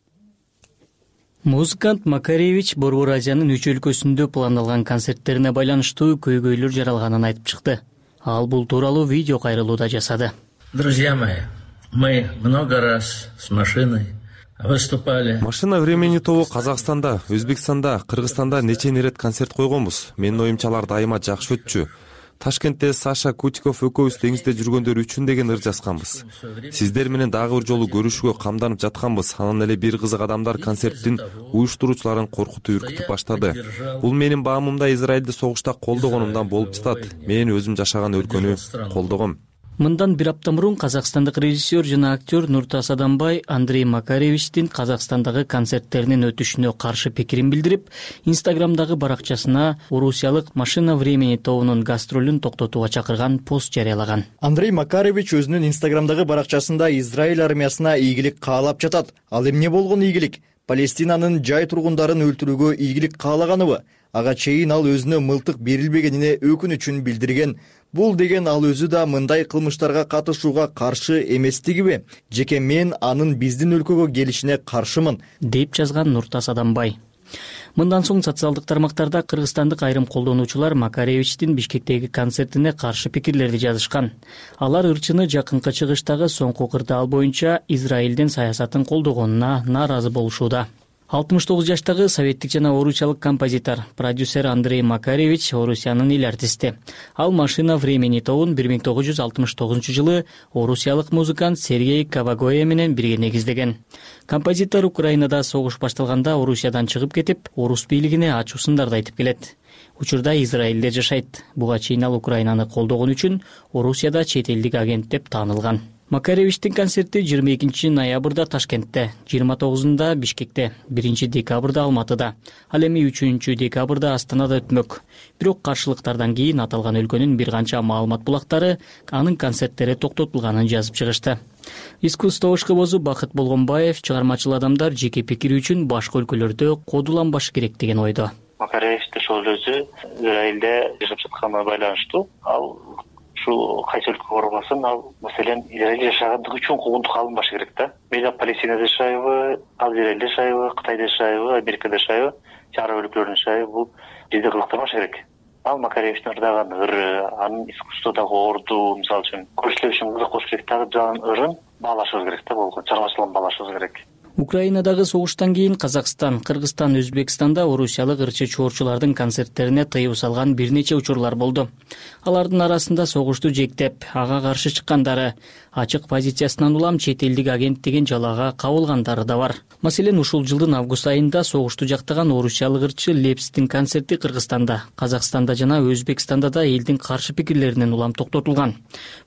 Музыкант Макаревич Борбор Азиянын үч өлкөсүндө пландалган концерттерине байланыштуу көйгөйлөр жаралганын айтып чыкты. Ал бул тууралуу видео кайрылууда жасады. Друзья мои, мы много раз с машиной выступали. Машина времени тобу Казакстанда, Өзбекстанда, Кыргызстанда нече ирет концерт койгонбуз. Менин оюмча алар дайыма жакшы өтчү. Ташкентте Саша Кутиков экөөбүз деңизде жүргөндөр үчүн деген ыр жазганбыз. Сиздер менен дагы бир жолу көрүшүүгө камданып жатканбыз. Анан эле бир кызык адамдар концерттин уюштуруучуларын коркутуп үркүтүп баштады. Бул менин баамымда Израилди согушта колдогонумдан болуп жатат. Мен өзүм жашаган өлкөнү колдогом. Мындан бир апта мурун казакстандык режиссер жана актер Нуртас Адамбай Андрей Макаревичтин Казакстандагы концерттеринин өтүшүнө каршы пикирин билдирип, Инстаграмдагы баракчасына Орусиялык Машина времени тобунун гастролун токтотууга чакырган пост жарыялаган. Андрей Макаревич өзүнүн Инстаграмдагы баракчасында Израиль армиясына ийгилик каалап жатат. Ал эмне болгон ийгилик? Палестинанын жай тургундарын өлтүрүүгө ийгилик каалаганыбы? Ага чейин ал өзүнө мылтык берилбегенине өкүнүчүн билдирген. Бул деген ал өзү да мындай кылмыштарга катышууга каршы эместигиби? Жеке мен анын биздин өлкөгө келишине каршымын, деп жазган Нуртас Адамбай. Мындан соң социалдык тармактарда кыргызстандык айрым колдонуучулар Макаревичтин Бишкектеги концертине каршы пикирлерди жазышкан. Алар ырчыны жакынкы чыгыштагы соңку кырдаал боюнча Израилдин саясатын колдогонуна нааразы болушууда. алтымыш тогуз жаштагы советтик жана орусиялык композитор, продюсер Андрей Макаревич Орусиянын эл артисти. Ал Машина времени тобун бир миң тогуз жүз алтымыш тогузунчу жылы орусиялык музыкант Сергей Кавагоя менен бирге негиздеген. Композитор Украинада согуш башталганда Орусиядан чыгып кетип, орус бийлигине ачуу сындарды айтып келет. Учурда Израилде жашайт. Буга чейин ал Украинаны колдогон үчүн Орусияда чет элдик агент деп таанылган. Макаревичтин концерти жыйырма экинчи ноябрда Ташкентте, жыйырма тогузунда Бишкекте, биринчи декабрда Алматыда, ал эми үчүнчү декабрда Астанада өтмөк. Бирок каршылыктардан кийин аталган өлкөнүн бир канча маалымат булактары анын концерттери токтотулганын жазып чыгышты. Искусство ишкыбозу Бакыт Болгонбаев чыгармачыл адамдар жеке пикири үчүн башка өлкөлөрдө кодуланбашы керек деген ойдо. Макаревичтин ошол өзү Израилде жашап жатканына байланыштуу. Ал ушул кайсы өлкө барбасын, ал маселен Израилде жашагандыгы үчүн куугунтукка алынбашы керек да. Мейли Палестинада жашайбы, ал Израилде жашайбы, Кытайда жашайбы, Америкада жашайбы, араб өлкөлөрүндө жашайбы, бул жерде кылыктамаш керек. Ал Макаревичтин ырдаган ыры, анын искусстводагы орду, мисалы үчүн көрсөтүү үчүн кызык болуш керек дагы жаган ырын баалашыбыз керек да, болгон чыгармачылыгын баалашыбыз керек. Украинадагы согуштан кийин Казакстан, Кыргызстан, Өзбекстанда орусиялык ырчы чоорчулардын концерттерине тыюу салган бир нече учурлар болду. Алардын арасында согушту жектеп, ага каршы чыккандары, ачык позициясынан улам чет элдик агент деген жалаага кабылгандары да бар. Маселен, ушул жылдын август айында согушту жактаган орусиялык ырчы Лепстин концерти Кыргызстанда, Казакстанда жана Өзбекстанда да элдин каршы пикирлеринен улам токтотулган.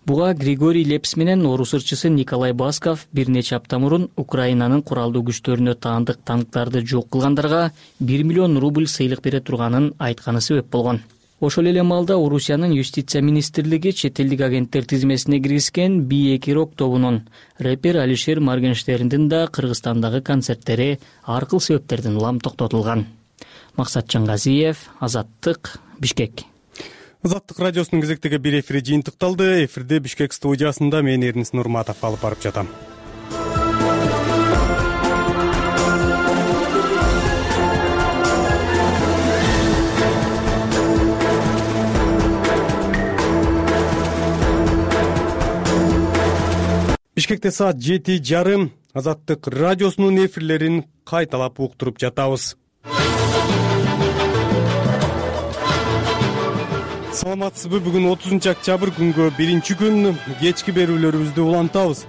Буга Григорий Лепс менен орус ырчысы Николай Басков бир нече апта мурун Украинанын куралдуу күчтөрүнө таандык танктарды жок кылгандарга бир миллион рубль сыйлык бере турганын айтканы себеп болгон. ошол эле маалда Орусиянын юстиция министрлиги чет элдик агенттер тизмесине киргизген би эки рок тобунун рэпер Алишер Моргенштерндин да Кыргызстандагы концерттери ар кыл себептерден улам токтотулган. Максат Жангазиев, Азаттык, Бишкек. Азаттык радиосунун кезектеги бир эфири жыйынтыкталды. Эфирде Бишкек студиясында мен Эрнис Нурматов алып барып жатам. Бишкекте саат жети жарым. Азаттык радиосунун эфирлерин кайталап уктуруп жатабыз. Саламатсызбы? Бүгүн отузунчу октябрь күнгө биринчи күн кечки берүүлөрүбүздү улантабыз.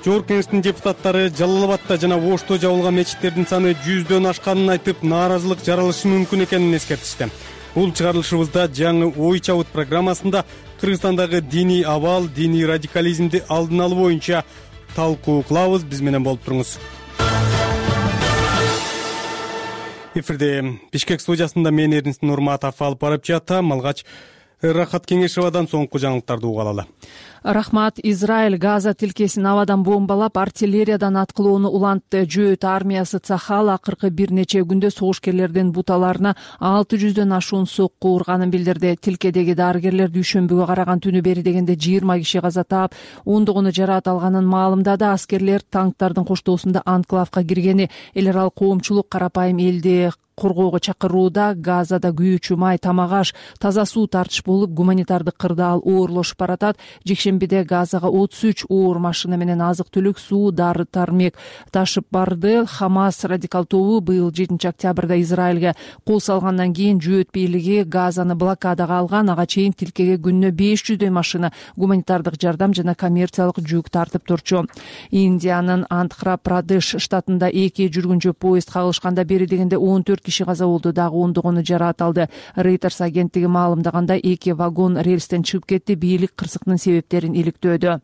Жогорку Кеңештин депутаттары Жалал Абадта жана Ошто жабылган мечиттердин саны жүздөн ашканын айтып, нааразылык жаралышы мүмкүн экенин эскертишти. Бул чыгарылышыбызда жаңы ой чабыт программасында Кыргызстандагы диний абал, диний радикализмди алдын алуу боюнча талкуу кылабыз. Биз менен болуп туруңуз. Эфирде Бишкек студиясында мен Эрнис Нурматов алып барып жатам. Алгач Рахат Кеңешевадан соңку жаңылыктарды угалы. Рахмат. Израиль Газа тилкесин абадан бомбалап, артиллериядан аткылоону улантты. Жөөт армиясы Цахал акыркы бир нече күндө согушкерлердин буталарына алты жүздөн ашуун сокку урганын билдирди. Тилкедеги дарыгерлер дүйшөмбүгө караган түнү бери дегенде жыйырма киши каза таап, ондогону жараат алганын маалымдады. Аскерлер танктардын коштоосунда анклавка киргени, эл аралык коомчулук карапайым элди коргоого чакырууда. Газада күйүүчү май, тамак аш, таза суу тартыш болуп, гуманитардык кырдаал оорлошуп баратат. Жекшембиде Газага отуз үч оор машина менен азык түлүк, суу, дары тармек ташып барды. Хамас радикал тобу быйыл жетинчи октябрда Израилге кол салгандан кийин жөөт бийлиги Газаны блокадага алган. Ага чейин тилкеге күнүнө беш жүздөй машина гуманитардык жардам жана коммерциялык жүк тартып турчу. Индиянын Андхра-Прадеш штатында эки жүргүнчү поезд кагылышканда бери дегенде он төрт киши каза болду, дагы ондогону жараат алды. Reuters агенттиги маалымдаганда эки вагон рельстен чыгып кетти. Бийлик кырсыктын себептерин иликтөөдө.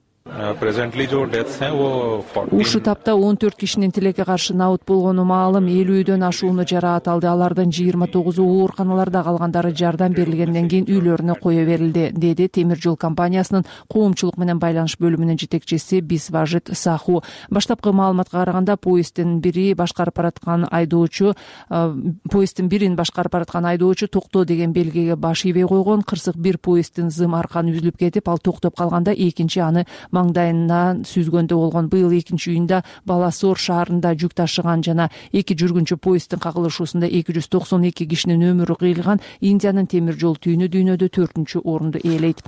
Ушул тапта он төрт кишинин тилекке каршы набыт болгону маалым. элүүдөн ашууну жараат алды. Алардын жыйырма тогузу ооруканаларда, калгандары жардам берилгенден кийин үйлөрүнө кое берилди, деди темир жол компаниясынын коомчулук менен байланыш бөлүмүнүн жетекчиси Бисважит Саху. Баштапкы маалыматка караганда поезддин бири башкарып бараткан айдоочу поезддин бирин башкарып бараткан айдоочу токто деген белгиге баш ийбей койгон. Кырсык бир поезддин зым арканы үзүлүп кетип, ал токтоп калганда экинчи аны маңдайынан сүзгөндө болгон. Быйыл экинчи июнда Баласор шаарында жүк ташыган жана эки жүргүнчү поезддин кагылышуусунда эки жүз токсон эки кишинин өмүрү кыйылган. Индиянын темир жол түйүнү дүйнөдө төртүнчү орунду ээлейт.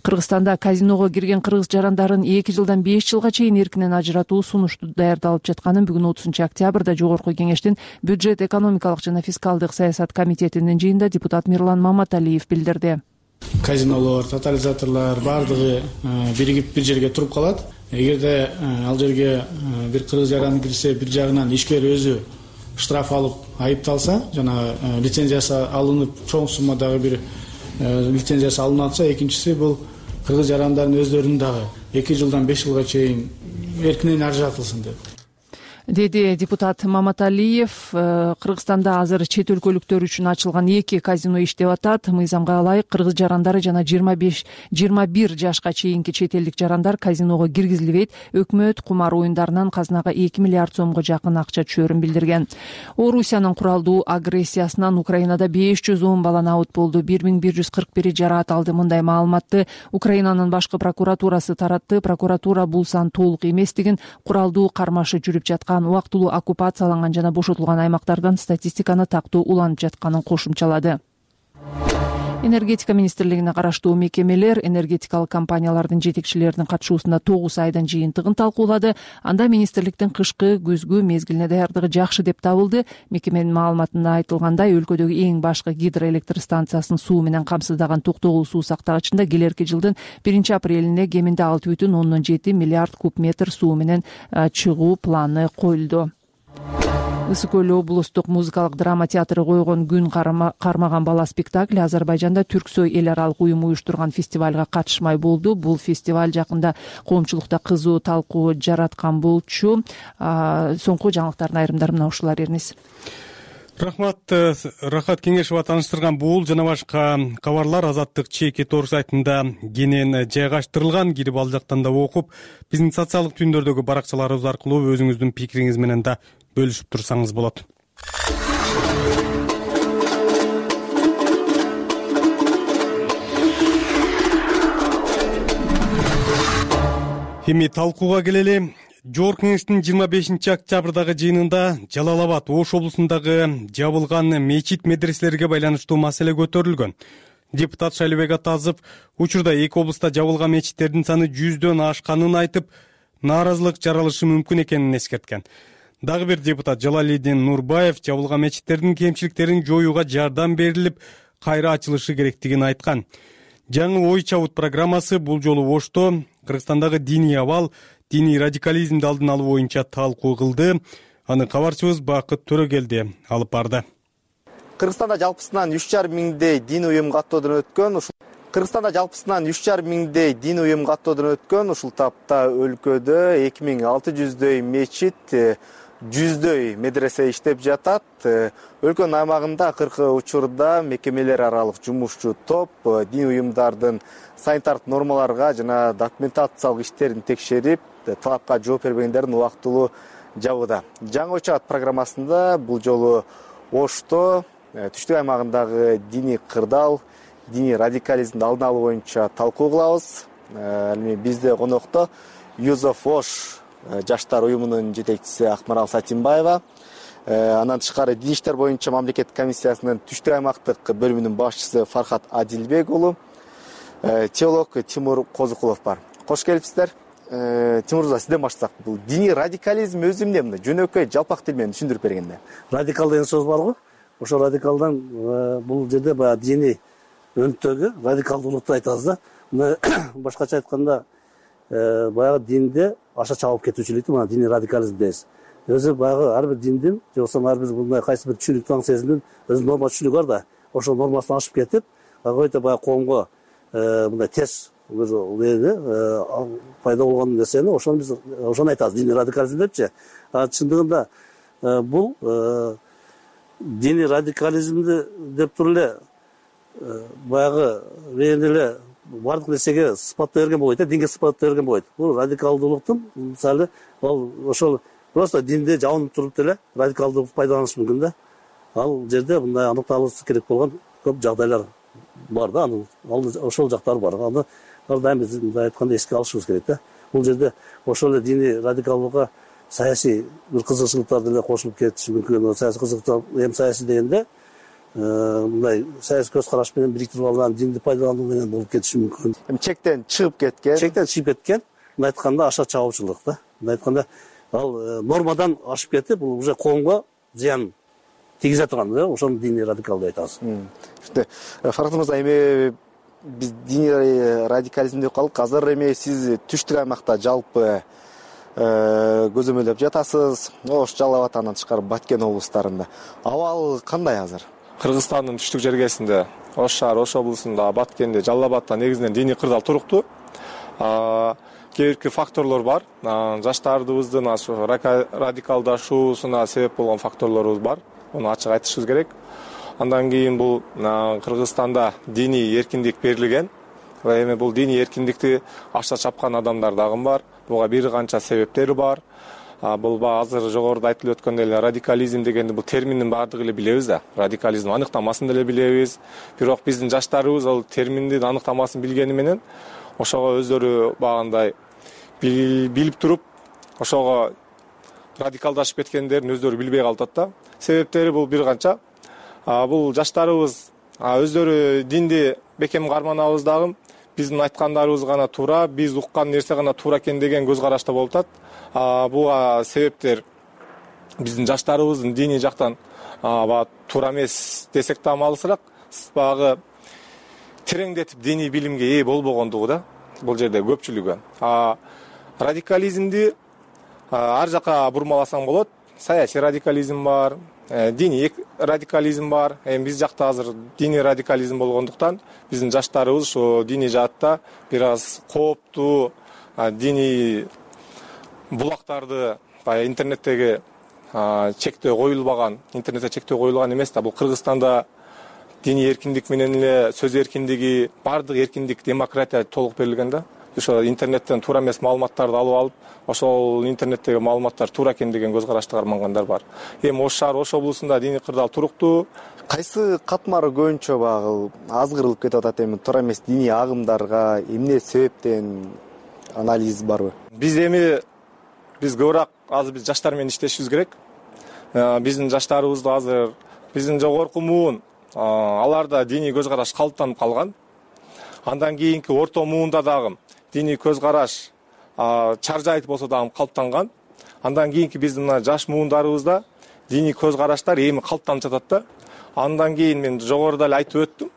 Кыргызстанда казиного кирген кыргыз жарандарын эки жылдан беш жылга чейин эркинен ажыратуу сунушту даярдалып жатканын бүгүн отузунчу октябрда Жогорку Кеңештин бюджет, экономикалык жана фискалдык саясат комитетинин жыйынында депутат Мирлан Маматалиев билдирди. Казинолор, тотализаторлор баардыгы биригип бир жерге туруп калат. Эгерде ал жерге бир кыргыз жараны кирсе, бир жагынан ишкер өзү штраф алып айыпталса, жана лицензиясы алынып, чоң суммадагы бир лицензиясы алынып атса, экинчиси бул кыргыз жарандардын өздөрүнүн дагы эки жылдан беш жылга чейин эркинен ажыратылсын деп, деди депутат Маматалиев. Кыргызстанда азыр чет өлкөлүктөр үчүн ачылган эки казино иштеп атат. Мыйзамга ылайык кыргыз жарандары жана жыйырма беш жыйырма бир жашка чейинки чет элдик жарандар казиного киргизилбейт. Өкмөт кумар оюндарынан казынага эки миллиард сомго жакын акча түшөрүн билдирген. Орусиянын куралдуу агрессиясынан Украинада беш жүз он бала набыт болду. бир миң бир жүз кырк бири жараат алды. Мындай маалыматты Украинанын башкы прокуратурасы таратты. Прокуратура бул сан толук эместигин, куралдуу кармашы жүрүп жаткан, убактылуу оккупацияланган жана бошотулган аймактардан статистиканы тактоо уланып жатканын кошумчалады. Энергетика министрлигине караштуу мекемелер энергетикалык компаниялардын жетекчилеринин катышуусунда тогуз айдын жыйынтыгын талкуулады. Анда министрликтин кышкы күзгү мезгилине даярдыгы жакшы деп табылды. Мекеменин маалыматында айтылгандай, өлкөдөгү эң башкы гидроэлектр станциясын суу менен камсыздаган Токтогул суу сактагычында келерки жылдын биринчи апрелине кеминде алты бүтүн ондон жети миллиард куб метр суу менен чыгуу планы коюлду. Ысык көл облустук музыкалык драма театры койгон Күн кармаган бала спектакли Азербайжанда Түрксой эл аралык уюму уюштурган фестивалга катышмай болду. Бул фестиваль жакында коомчулукта кызуу талкуу жараткан болчу. Соңку жаңылыктардын айрымдары мына ушулар. Эрнис. рахмат. Рахат Кеңешова тааныштырган бул жана башка кабарлар Азаттык чеки тор сайтында кенен жайгаштырылган. Кирип ал жактан да окуп, биздин социалдык түйүндөрдөгү баракчаларыбыз аркылуу өзүңүздүн пикириңиз менен да бөлүшүп турсаңыз болот. Эми талкууга келели. Жогорку Кеңештин жыйырма бешинчи октябрдагы жыйынында Жалал Абад Ош облусундагы жабылган мечит медреселерге байланыштуу маселе көтөрүлгөн. Депутат Шайлыбек Атазов учурда эки облуста жабылган мечиттердин саны жүздөн ашканын айтып, нааразылык жаралышы мүмкүн экенин эскерткен. Дагы бир депутат Жалалидин Нурбаев жабылган мечиттердин кемчиликтерин жоюуга жардам берилип, кайра ачылышы керектигин айткан. Жаңы ой чабыт программасы бул жолу Ошто Кыргызстандагы диний абал, диний радикализмди алдын алуу боюнча талкуу кылды. Аны кабарчыбыз Бакыт Төрөгелди алып барды. Кыргызстанда жалпысынан үч жарым миңдей дин уюм каттоодон өткөн. Кыргызстанда жалпысынан үч жарым миңдей дин уюм каттоодон өткөн. Ушул тапта өлкөдө эки миң алты жүздөй мечит, жүздөй медресе иштеп жатат. Өлкөнүн аймагында кыркы учурда мекемелер аралык жумушчу топ дин уюмдардын санитардык нормаларга жана документациялык иштерин текшерип, талапка жооп бербегендерин убактылуу жабууда. Жаңы ой чабыт программасында бул жолу Ошто түштүк аймагындагы диний кырдаал, диний радикализмди алдын алуу боюнча талкуу кылабыз. Эми бизде конокто Youth of Osh жаштар уюмунун жетекчиси Акмарал Сатимбаева, андан тышкары дин иштер боюнча мамлекеттик комиссиясынын түштүк аймактык бөлүмүнүн башчысы Фархат Адилбек уулу, теолог Тимур Козукулов бар. Кош келипсиздер. Тимур Мырза, сизден баштасак, бул диний радикализм өзү эмне? Мындай жөнөкөй жалпак тил менен түшүндүрүп бергенде. Радикал деген сөз барго. Ошо радикалдан бул жерде баягы диний өнүктөгө радикалдуулукту айтабыз да. Мына башкача айтканда баягы динде аша чабып кетүүчүлүктү мына диний радикализм дейбиз. Өзү баягы ар бир диндин, же болбосо ар бир мындай кайсы бир түшүнүк таң сезимдин өзүнүн норма түшүнүгү бар да. Ошол нормасын ашып кетип, който баягы коомго мындай терс бир пайда болгон нерсени, ошону биз ошону айтабыз диний радикализм депчи. А чындыгында бул диний радикализмди деп туруп эле баягы эле бардык нерсеге сыпаттай берген болбойт, динге сыпаттай берген болбойт. Бул радикалдуулуктун мисалы ал ошол просто динде жабынып туруп деле радикалдуулукту пайдаланышы мүмкүн да. Ал жерде мындай аныкталышы керек болгон көп жагдайлар бар да, анын ошол жактары бар. Аны ар дайым биз мындай айтканда эске алышыбыз керек да. Бул жерде ошол эле диний радикалдуулукка саясий бир кызыкчылыктар деле кошулуп кетиши мүмкүн. Саясий кызыкчылыктар эми саясий дегенде мындай саясий көз караш менен бириктирип алган динди пайдалануу менен болуп кетиши мүмкүн. Эми чектен чыгып кеткен. Чектен чыгып кеткен. Мындай айтканда аша чабуучулук да. Мындай айтканда ал нормадан ашып кетип, бул уже коомго зыян тийгизе турган да, ошону диний радикал деп айтабыз. Түшүндү. Фархат Мырза, эми биз диний радикализм деп калдык. Азыр эми сиз түштүк аймакта жалпы көзөмөлдөп жатасыз. Ош, Жалал Абад, андан тышкары Баткен облустарында. Абал кандай азыр? Кыргызстандын түштүк жергесинде, Ош шаар, Ош облусунда, Баткенде, Жалал Абадта негизинен диний кырдаал туруктуу. Кээ бирки факторлор бар. Жаштарыбыздын радикалдашуусуна себеп болгон факторлорубуз бар. Муну ачык айтышыбыз керек. Андан кийин бул Кыргызстанда диний эркиндик берилген. Эми бул диний эркиндикти аша чапкан адамдар дагы бар. Буга бир канча себептери бар. Бул азыр жогоруда айтылып өткөндөй эле радикализм дегенди бул терминдин баардыгы эле билебиз да. Радикализм аныктамасын деле билебиз. Бирок биздин жаштарыбыз ал терминдин аныктамасын билгени менен ошого өздөрү багандай билип туруп, ошого радикалдашып кеткендерин өздөрү билбей калышат да. Себептери бул бир канча. Бул жаштарыбыз өздөрү динди бекем карманабыз дагы, биздин айткандарыбыз гана туура, биз уккан нерсе гана туура экен деген көз карашта болуп атат. Буга себептер биздин жаштарыбыздын диний жактан туура эмес десек да малысыраак, багы тереңдетип диний билимге ээ болбогондугу да. Бул жерде көпчүлүгү. Радикализмди ар жака бурмаласаң болот. Саясий радикализм бар, диний радикализм бар. Эми биз жакта азыр диний радикализм болгондуктан биздин жаштарыбыз ошо диний жаатта бир аз кооптуу диний булактарды интернеттеги чектөө коюлбаган, интернетте чектөө коюлган эмес да. Бул Кыргызстанда диний эркиндик менен эле сөз эркиндиги, баардык эркиндик, демократия толук берилген да. Ошо интернеттен туура эмес маалыматтарды алып алып, ошол интернеттеги маалыматтар туура экен деген көз карашты кармангандар бар. Эми Ош шаар, Ош облусунда диний кырдаал туруктуу. Кайсы катмары көбүнчө багы азгырылып кетип атат эми туура эмес диний агымдарга эмне себептен, анализ барбы? Биз эми биз көбүрөөк азыр биз жаштар менен иштешибиз керек. Биздин жаштарыбызды азыр биздин жогорку муун аларда диний көз караш калыптанып калган. Андан кийинки орто муунда дагы диний көз караш чаржайыт болсо дагы калыптанган. Андан кийинки биздин мына жаш муундарыбызда диний көз караштар эми калыптанып жатат да. Андан кийин мен жогоруда эле айтып өттүм.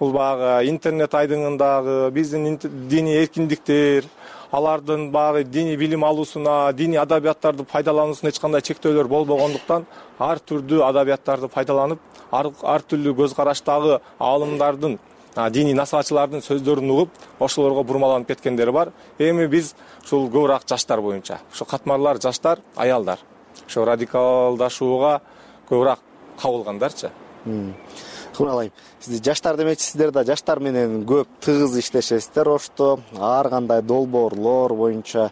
Бул багы интернет айдыңындагы биздин диний эркиндиктер, алардын багы диний билим алуусуна, диний адабияттарды пайдалануусуна эч кандай чектөөлөр болбогондуктан ар түрдүү адабияттарды пайдаланып, ар, ар түрлүү көз караштагы аалымдардын, диний насаачылардын сөздөрүн угуп, ошолорго бурмаланып кеткендери бар. Эми биз ушул көбүрөөк жаштар боюнча, ошо катмарлар жаштар, аялдар, ошо радикалдашууга көбүрөөк кабылгандарчы. Кымалайм. Сиз жаштар демекчи, сиздер да жаштар менен көп тыгыз иштешесиздер Ошто, ар кандай долбоорлор боюнча.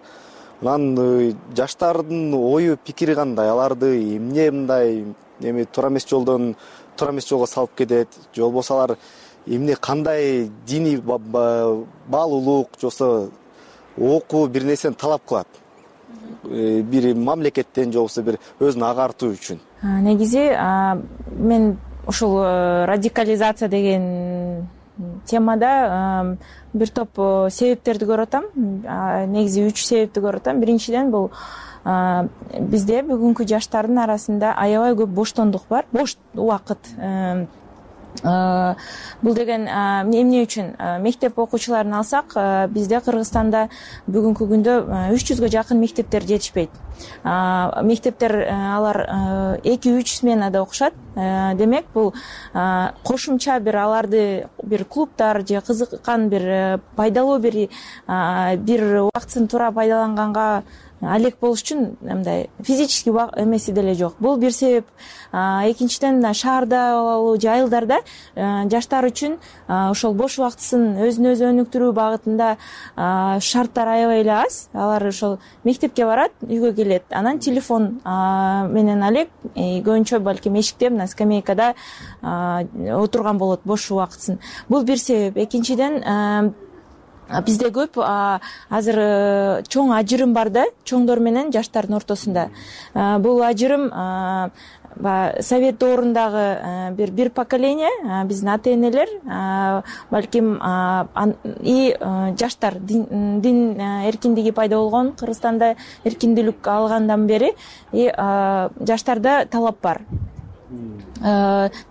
Анан жаштардын ою, пикири кандай? Аларды эмне мындай эми туура эмес жолдон туура эмес жолго салып кетет? Же болбосо алар эмне кандай диний баалуулук жосо окуу бир нерсени талап кылат? Бир мамлекеттен же болбосо бир өзүн агартуу үчүн. Негизи мен ушул радикализация деген темада бир топ себептерди көрүп атам. Негизи үч себепти көрүп атам. Биринчиден бул бизде бүгүнкү жаштардын арасында аябай көп боштондук бар, бош убакыт. Бул деген эмне үчүн? Мектеп окуучуларын алсак, бизде Кыргызстанда бүгүнкү күндө үч жүзгө жакын мектептер жетишпейт. Мектептер алар эки үч сменада окушат. Демек, бул кошумча бир аларды бир клубтар же кызыккан бир пайдалуу бир бир убактысын туура пайдаланганга алек болуш үчүн мындай физический эмеси деле жок. Бул бир себеп. Экинчиден, шаарда болобу же айылдарда жаштар үчүн ошол бош убактысын өзүн өзү өнүктүрүү багытында шарттар аябай эле аз. Алар ошол мектепке барат, үйгө келет. Анан телефон менен алек көбүнчө балким эшикте мына скамейкада отурган болот бош убактысын. Бул бир себеп. Экинчиден, бизде көп азыр чоң ажырым бар да, чоңдор менен жаштардын ортосунда. Бул ажырым совет доорундагы бир бир поколение, биздин ата-энелер, балким и жаштар дин эркиндиги пайда болгон, Кыргызстанда эркиндүүлүк алгандан бери и жаштарда талап бар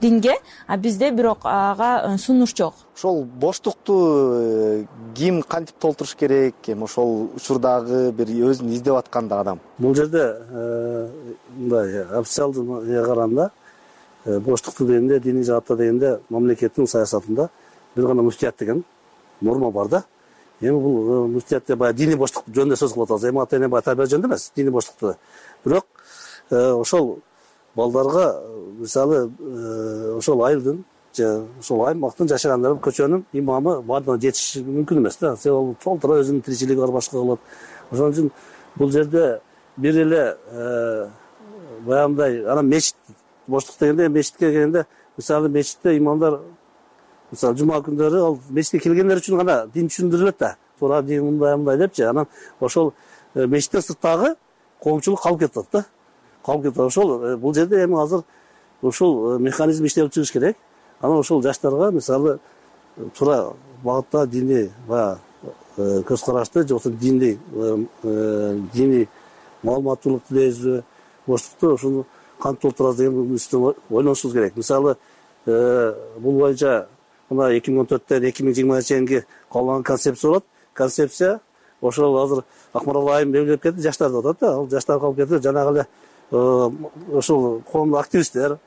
динге, а бизде бирок ага сунуш жок. Ошол боштукту ким кантип толтуруш керек? Эми ошол учурдагы бир өзүн издеп атканда адам. Бул жерде мындай официалдуу караганда боштукту дегенде, диний жаатта дегенде мамлекеттин саясатында бир гана муфтият деген норма бар да. Эми бул муфтиятте баягы диний боштук жөнүндө сөз кылып атабыз. Эми ата-эне баягы тарбия жөнүндө эмес, диний боштукту. Бирок ошол балдарга мисалы ошол айылдын же ошол аймактын жашагандары көчөнүн имамы баардыгына жетиши мүмкүн эмес да. Себеби толтура өзүнүн тиричилиги бар, башка кылат. Ошон үчүн бул жерде бир эле баягындай анан мечит боштук дегенде, мечитке келгенде мисалы мечитте имамдар мисалы жума күндөрү ал мечитке келгендер үчүн гана дин түшүндүрүлөт да. Туура дин мындай мындай депчи. Анан ошол мечиттен сырттагы коомчулук калып кетет да. Калып кетет. Ошол бул жерде эми азыр ушул механизм иштелип чыгыш керек. Анан ошол жаштарга мисалы туура багытта диний баягы көз карашты же болбосо диний диний маалыматтуулукту дейбизби, боштукту ошону кантип толтурабыз деген үстүнө ойлонушубуз керек. Мисалы бул боюнча мына эки миң он төрттөн эки миң жыйырмага чейинки кабылган концепция болот. Концепция ошол азыр Акмарал айым белгилеп кетти, жаштар деп атат да. Ал жаштар калып кетти. Жанагы эле ошол коомдук активисттер,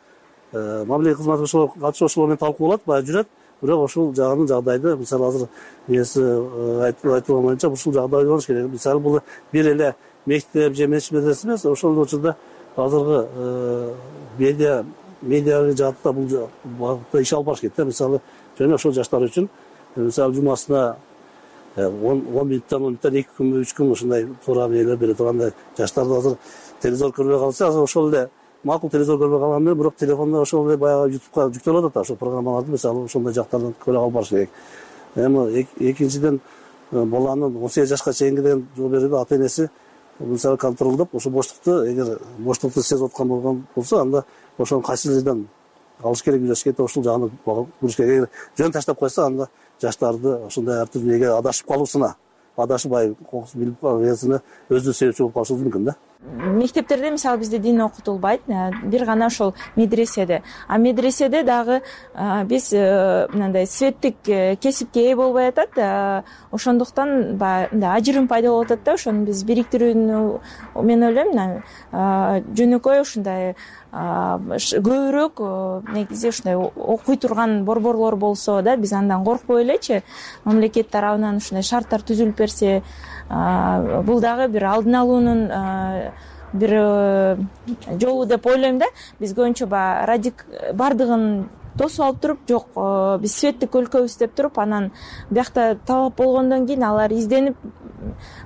мамлекеттик кызмат катышуучулар менен талкууланат, баягы жүрөт. Бирок ушул жагынын жагдайды, мисалы азыр эси айтылган боюнча ушул жагда ойлонуш керек. Мисалы бул бир эле мектеп же мечит медресе эмес, ошол учурда азыркы медиа медиа жаатта бул багытта иш алып барыш керек да. Мисалы жана ошол жаштар үчүн мисалы жумасына он минуттан он минуттан эки күнбү үч күн ушундай туура эмелер бере тургандай жаштарды азыр телевизор көрбөй калса, азыр ошол эле макул телевизор көрбөй калган менен бирок телефондо ошол эле баягы ютубка жүктөлүп атат да, ошол программаларды мисалы ошондой жактардан көрө алып барыш керек. Эми экинчиден баланын он сегиз жашка чейинки деген жол берүүдө ата энеси мисалы контролдоп ошо боштукту, эгер боштукту сезип аткан болгон болсо, анда ошонун кайсы жерден алыш керек, үйлөш керек, ошол жагына буруш керек. Эгер жөн таштап койсо, анда жаштарды ошондой ар түрдүү эге адашып калуусуна, адашпай кокус билип калуусуна өзү себепчи болуп калышы мүмкүн да. Мектептерде мисалы бизде дин окутулбайт, бир гана ошол медреседе. А медреседе дагы биз мындай светтик кесипке ээ болбой атат. Ошондуктан баягы ажырым пайда болуп атат да. Ошону биз бириктирүүнү мен ойлойм, жөнөкөй ушундай көбүрөөк негизи ушундай окуй турган борборлор болсо да, биз андан коркпой элечи, мамлекет тарабынан ушундай шарттар түзүлүп берсе, бул дагы бир алдын алуунун бир жолу деп ойлойм да. Биз көбүнчө баягы бардыгын тосуп алып туруп, жок биз светтик өлкөбүз деп туруп, анан биякта талап болгондон кийин алар изденип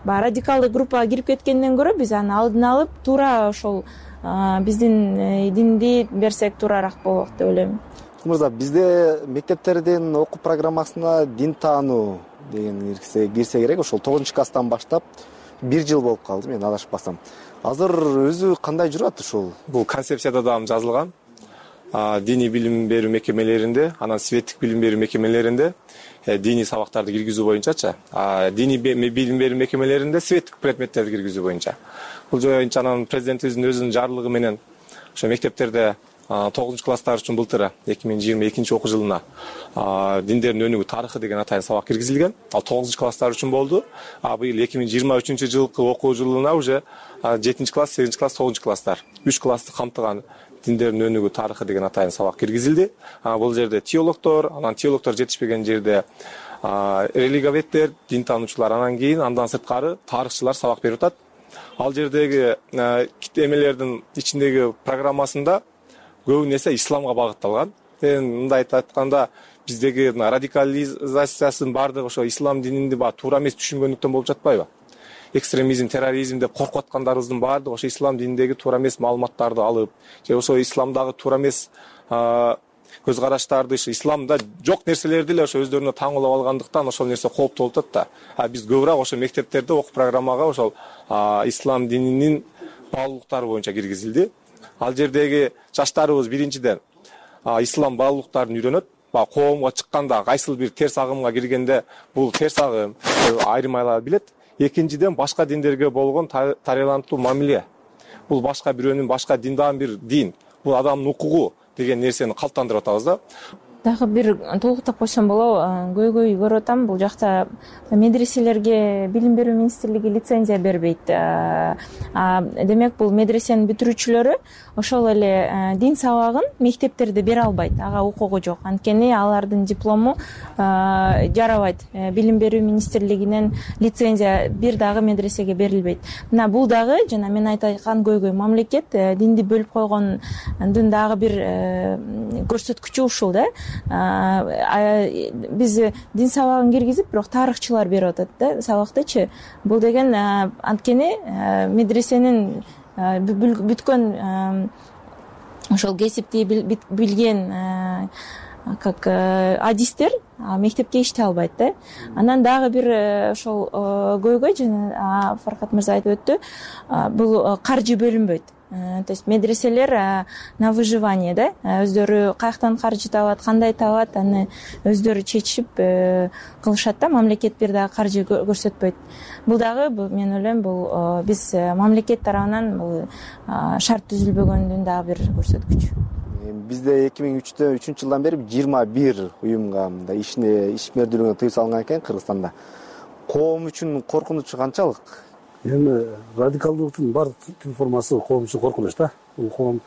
баягы радикалдык группага кирип кеткенден көрө, биз аны алдын алып туура ошол биздин динди берсек туурараак болот деп ойлойм. Мырза, бизде мектептердин окуу программасына дин таануу деген кирсе керек. Ошол тогузунчу класстан баштап бир жыл болуп калды, мен адашпасам. Азыр өзү кандай жүрөт ушул? Бул концепцияда дагы жазылган. Диний билим берүү мекемелеринде, анан светтик билим берүү мекемелеринде диний сабактарды киргизүү боюнчачы, диний билим берүү мекемелеринде светтик предметтерди киргизүү боюнча. Бул боюнча анан президентибиздин өзүнүн жарлыгы менен ошо мектептерде тогузунчу класстар үчүн былтыр эки миң жыйырма экинчи окуу жылына диндердин өнүгүү тарыхы деген атайын сабак киргизилген. Ал тогузунчу класстар үчүн болду. А быйыл эки миң жыйырма үчүнчү жылкы окуу жылына уже жетинчи класс, сегизинчи класс, тогузунчу класстар үч классты камтыган диндердин өнүгүү тарыхы деген атайын сабак киргизилди. Бул жерде теологдор, анан теологдор жетишпеген жерде религоведтер, дин таануучулар, анан кийин андан сырткары тарыхчылар сабак берип атат. Ал жердеги эмелердин ичиндеги программасында көбү нерсе исламга багытталган. Мындай айтып айтканда, биздеги радикализациясынын баардыгы ошо ислам дининди баа туура эмес түшүнгөндүктөн болуп жатпайбы? Экстремизм, терроризм деп коркуп аткандарыбыздын баардыгы ошо ислам дининдеги туура эмес маалыматтарды алып, же ошо исламдагы туура эмес көз караштарды, исламда жок нерселерди эле ошо өздөрүнө таңуулап алгандыктан ошол нерсе кооптуу болуп атат да. А биз көбүрөөк ошо мектептерде окуу программага ошол ислам дининин баалуулуктары боюнча киргизилди. Ал жердеги жаштарыбыз биринчиден ислам баалуулуктарын үйрөнөт. Коомго чыкканда, кайсыл бир терс агымга киргенде бул терс агым айырмайлап билет. Экинчиден башка диндерге болгон тарыялантуу мамиле. Бул башка бирөөнүн, башка диндан бир дин. Бул адамдын укугу деген нерсени калыптандырып атабыз да. Дагы бир толуктап койсом болобу, көйгөй көрүп атам, бул жакта медреселерге билим берүү министрлиги лицензия бербейт. Демек, бул медресенин бүтүрүүчүлөрү ошол эле дин сабагын мектептерде бере албайт, ага укугу жок. Анткени алардын диплому жарабайт. Билим берүү министрлигинен лицензия бир дагы медресеге берилбейт. Мына бул дагы жана мен айткан көйгөй, мамлекет динди бөлүп койгондун дагы бир көрсөткүчү ушул да. Биз дин сабагын киргизип, бирок тарыхчылар берип атат да сабактычы. Бул деген анткени медресенин бүткөн ошол кесипти билген как адистер мектепке иштей албайт да. Анан дагы бир ошол көйгөй, жана Фаркат мырза айтып өттү, бул каржы бөлүнбөйт. То есть медреселер на выживание да, өздөрү каяктан каржы табат, кандай табат, аны өздөрү чечип кылышат да, мамлекет бир дагы каржы көрсөтпөйт. Бул дагы мен ойлойм, бул биз мамлекет тарабынан бул шарт түзүлбөгөндүн дагы бир көрсөткүчү. Бизде эки миң үчүнчү жылдан бери жыйырма бир уюмга мындай ишине ишмердүүлүгүнө тыюу салынган экен Кыргызстанда. Коом үчүн коркунучу канчалык? Эми радикалдуулуктун баардык түр формасы коом үчүн коркунуч да. Бул коом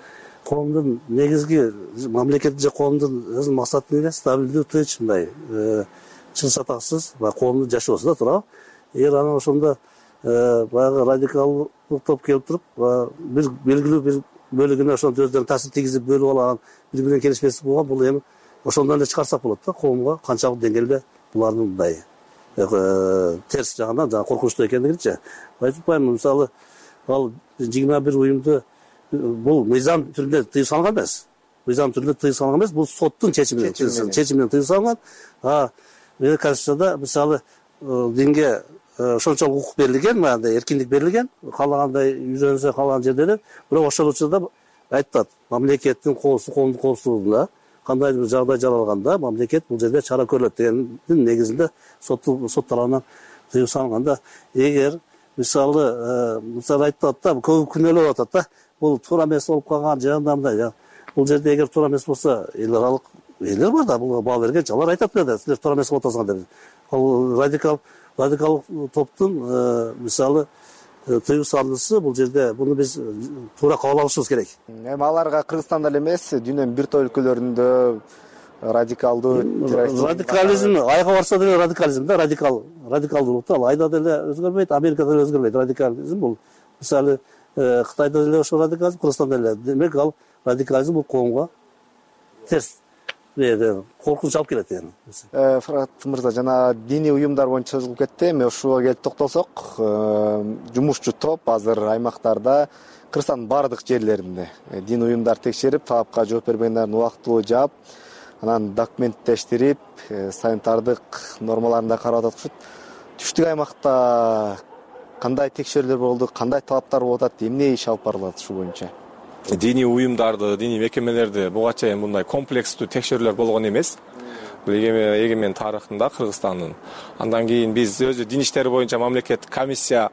коомдун негизги мамлекеттин же коомдун өзүнүн максаты эмне? Стабилдүү, тынч, мындай чын сатаксыз коомдун жашоосу да, туурабы? Эгер анан ошондо баягы радикалдык топ келип туруп, бир белгилүү бир бөлүгүнө ошентип өздөрүнүн таасир тийгизип бөлүп алаган, бири бири менен келишпестик болгон, бул эми ошондон эле чыгарсак болот да, коомго канчалык деңгээлде булардын мындай терс жагынан жана коркунучтуу экендигинчи айтып атпаймынбы. Мисалы, ал жыйырма бир уюмду бул мыйзам түрүндө тыюу салынган эмес. Мыйзам түрүндө тыюу салынган эмес, бул соттун чечими менен чечими менен тыюу салынган. А Конституцияда мисалы динге ошончолук укук берилген, мындай эркиндик берилген, каалагандай үйрөнсө, каалаган жерде эле. Бирок ошол учурда айтат, мамлекеттин коопсуздук, коомдук коопсуздугунда кандайдыр бир жагдай жаралганда мамлекет бул жерде чара көрүлөт дегендин негизинде сот сот тарабынан тыюу салынганда, эгер мисалы мисалы айтып атат да, көп күнөөлөп атат да, бул туура эмес болуп калган жагында мындай. Бул жерде эгер туура эмес болсо, эл аралык элер бар да, бул баа бергенчи, алар айтат да, силер туура эмес кылып атасыңар деп. Ал радикал радикал топтун мисалы тыюу салуусу бул жерде буну биз туура кабыл алышыбыз керек. Эми аларга Кыргызстанда эле эмес, дүйнөнүн бир топ өлкөлөрүндө радикалдуу радикализм айга барса деле радикализм да, радикал радикалдуулукту ал айда деле өзгөрбөйт, Америкада деле өзгөрбөйт. Радикализм бул мисалы Кытайда деле ошол радикализм, Кыргызстанда деле. Демек ал радикализм бул коомго терс коркунуч алып келет эми. Фарат мырза, жана диний уюмдар боюнча созулуп кетти. Эми ушуга келип токтолсок, жумушчу топ азыр аймактарда, Кыргызстандын баардык жерлеринде диний уюмдар текшерип, талапка жооп бербегендерин убактылуу жаап, анан документтештирип, санитардык нормаларын да карап атышат. Түштүк аймакта кандай текшерүүлөр болду, кандай талаптар болуп атат, эмне иш алып барылат ушул боюнча? Диний уюмдарды, диний мекемелерди буга чейин мындай комплекстүү текшерүүлөр болгон эмес. Бул эгемен тарыхында Кыргызстандын. Андан кийин биз өзү дин иштери боюнча мамлекеттик комиссия